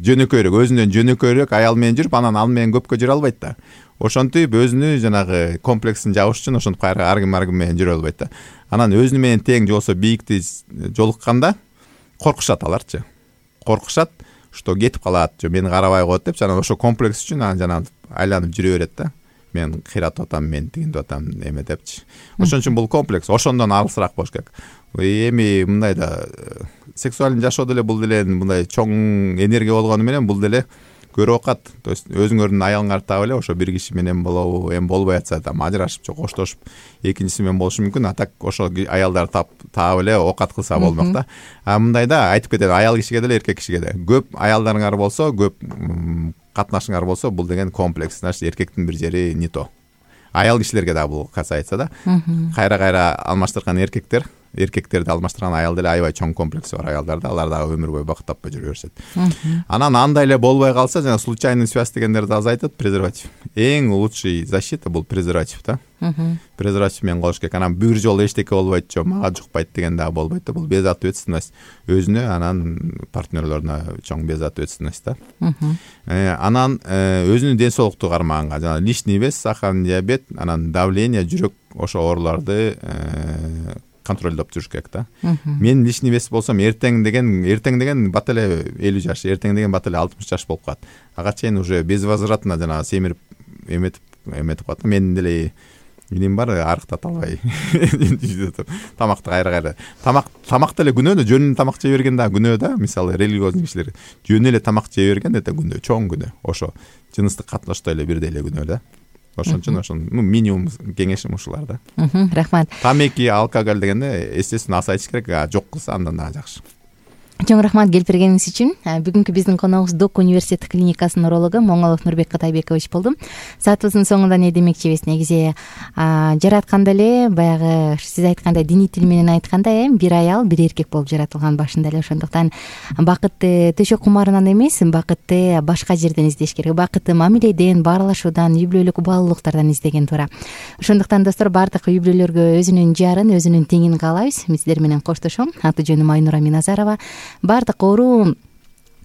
жөнөкөйрөөк, өзүнөн жөнөкөйрөөк аял менен жүрүп, анан ал менен көпкө жүрө албайт да. Ошентип өзүнү жанагы комплексин жабыш үчүн ошентип ар ким менен жүрө албайт да. Анан өзүнү менен тең жолсо бийикти жолукканда коркушат аларчы. Коркушат, что кетип калат, же мени карабай коет деп, анан ошо комплекс үчүн анан жана айланып жүрө берет да. Мен кыйратып атам, мен тигинтип атам, эме депчи. Ошон үчүн бул комплекс, ошондон алысыраак болуш керек. Эми мындай да, сексуалдуу жашоо деле бул деле мындай чоң энергия болгону менен бул деле көрүп акат. То есть өзүңөрдүн аялыңарды таап эле ошо бир киши менен болобу, эми болбой атса да ажырашып же коштошуп экинчиси менен болушу мүмкүн. А так ошо аялдар таап эле окат кылса болмок да. А мындай да айтып кетет, аял кишиге деле эркек кишиге да. Көп аялдарыңар болсо, көп катнашыңар болсо, бул деген комплекс, значит эркектин бир жери не то. Аял кишилерге да бул касается да. Кайра алмаштырган эркектерди алмаштырган аял деле аябай чоң комплекси бар аялдарда, алар дагы өмүр бою бакыт таппай жүрө беришет. Анан андай эле болбой калса, жана случайный связь дегендерди аз айтат, презерватив. Эң лучший защита бул презерватив да. Презерватив менен колуш керек. Анан бир жолу эчтеке болбойт, жок мага жукпайт деген дагы болбойт да. Бул безответственность өзүнө, анан партнерлоруна чоң безответственность да. Анан өзүнүн ден соолукту кармаганга, жана лишний вес, сахарный диабет, анан давление, жүрөк ошо ооруларды контролдоп жүрүш керек да. Мен лишний вес болсом эртең деген бат эле 50 жаш, эртең деген бат эле 60 жаш болуп калат. Ага чейин уже безвозвратно жана семирип эметип калат. Мен деле эмнем бар, арыктата албай. Тамакты кайра. Тамак деле күнөө, жөнүнө тамак жей берген да күнөө да. Мисалы религиозный кишилер жөнүнө эле тамак жей берген да күнөө, чоң күнөө. Ошо жыныстык катнашта эле бирдей эле күнөө да. Ошон үчүн минимум кеңешим ушулар да. Рахмат. Тамеки, алкоголь дегенде естественно аз айтыш керек, жок кылса андан дагы жакшы. Чоң рахмат келип бергениңиз үчүн. Бүгүнкү биздин коногубуз Док университет клиникасынын урологу Моңолов Нурбек Катайбекович болду. Саатыбыздын соңунда не демекчибиз? Негизи жаратканда эле баягы сиз айткандай диний тил менен айтканда бир аял, бир эркек болуп жаратылган башында эле. Ошондуктан бакытты төшөк кумарынан эмес, бакытты башка жерден издеш керек. Бакытты мамиледен, баарлашуудан, үй бүлөлүк убалуулуктардан издеген туура. Ошондуктан достор, баардык үй бүлөлөргө өзүнүн жарын, өзүнүн теңин каалайбыз. Мен сиздер менен коштошом. Аты жөнүм Айнура Миназарова. Баардык оору,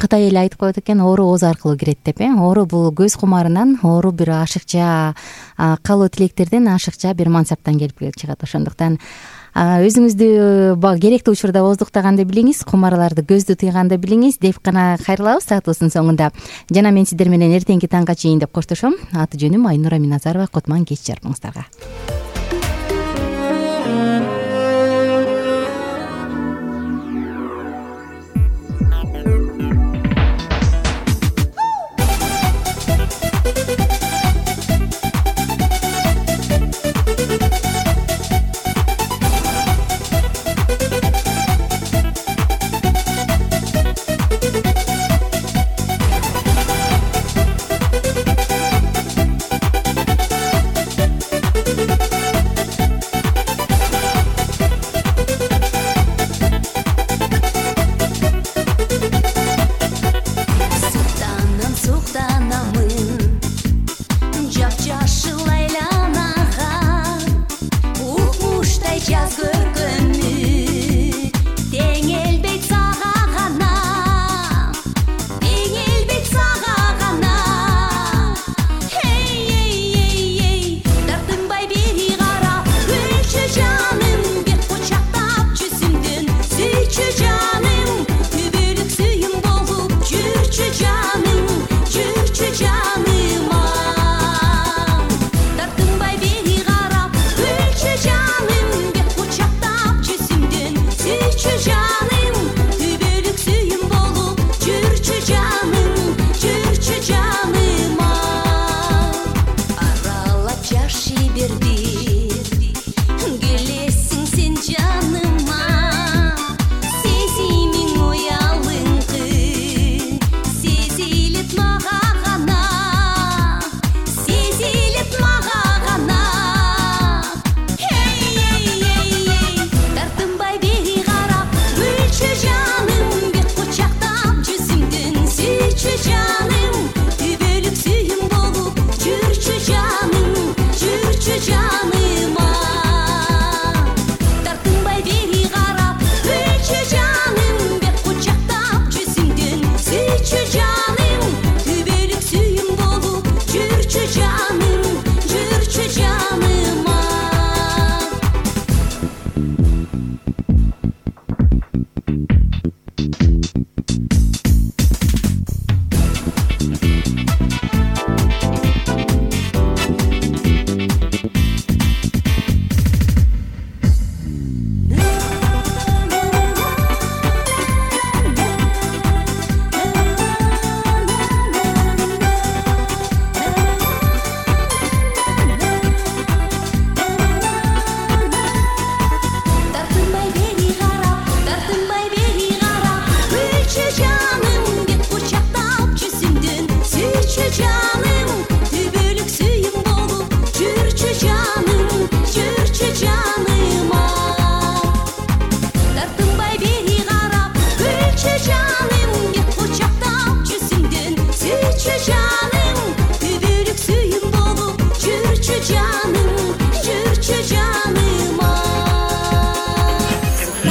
Кытай эле айтып коет экен, оору ооз аркылуу кирет деп. Оору бул көз кумарынан, оору бир ашыкча каалоо тилектерден, ашыкча бир мансаптан келип чыгат. Ошондуктан өзүңүздү керектүү учурда ооздуктаганды билиңиз, кумарларды көздү тыйганды билиңиз деп гана кайрылабыз саатыбыздын соңунда. Жана мен сиздер менен эртеңки таңга чейин деп коштошом. Аты жөнүм Айнура Миназарова. Котман кеч жарымыңыздарга.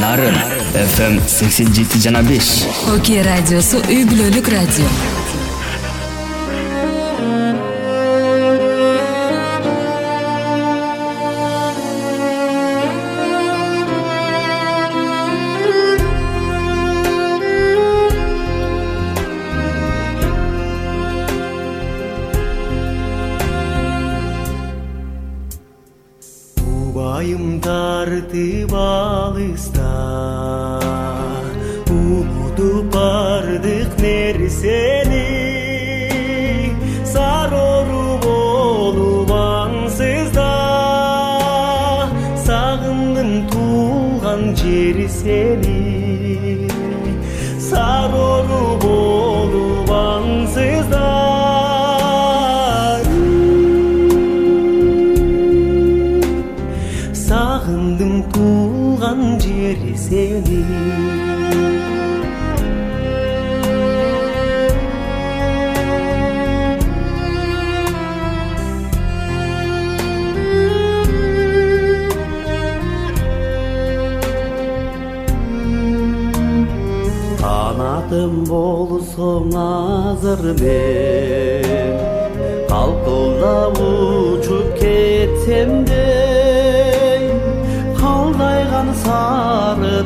Нарын FM 87,5. Окей радиосу үй бүлөлүк радио. Убайым тартып алыста, унутуп бардык нерсени, сарору болуп аңсызда, сагындым туулган жери сени, сарору болуп аңсызда. Сагындым туулган жери сени. Канатым болсоң азыр мен, калкылдап учуп кетсем де, калдайган сары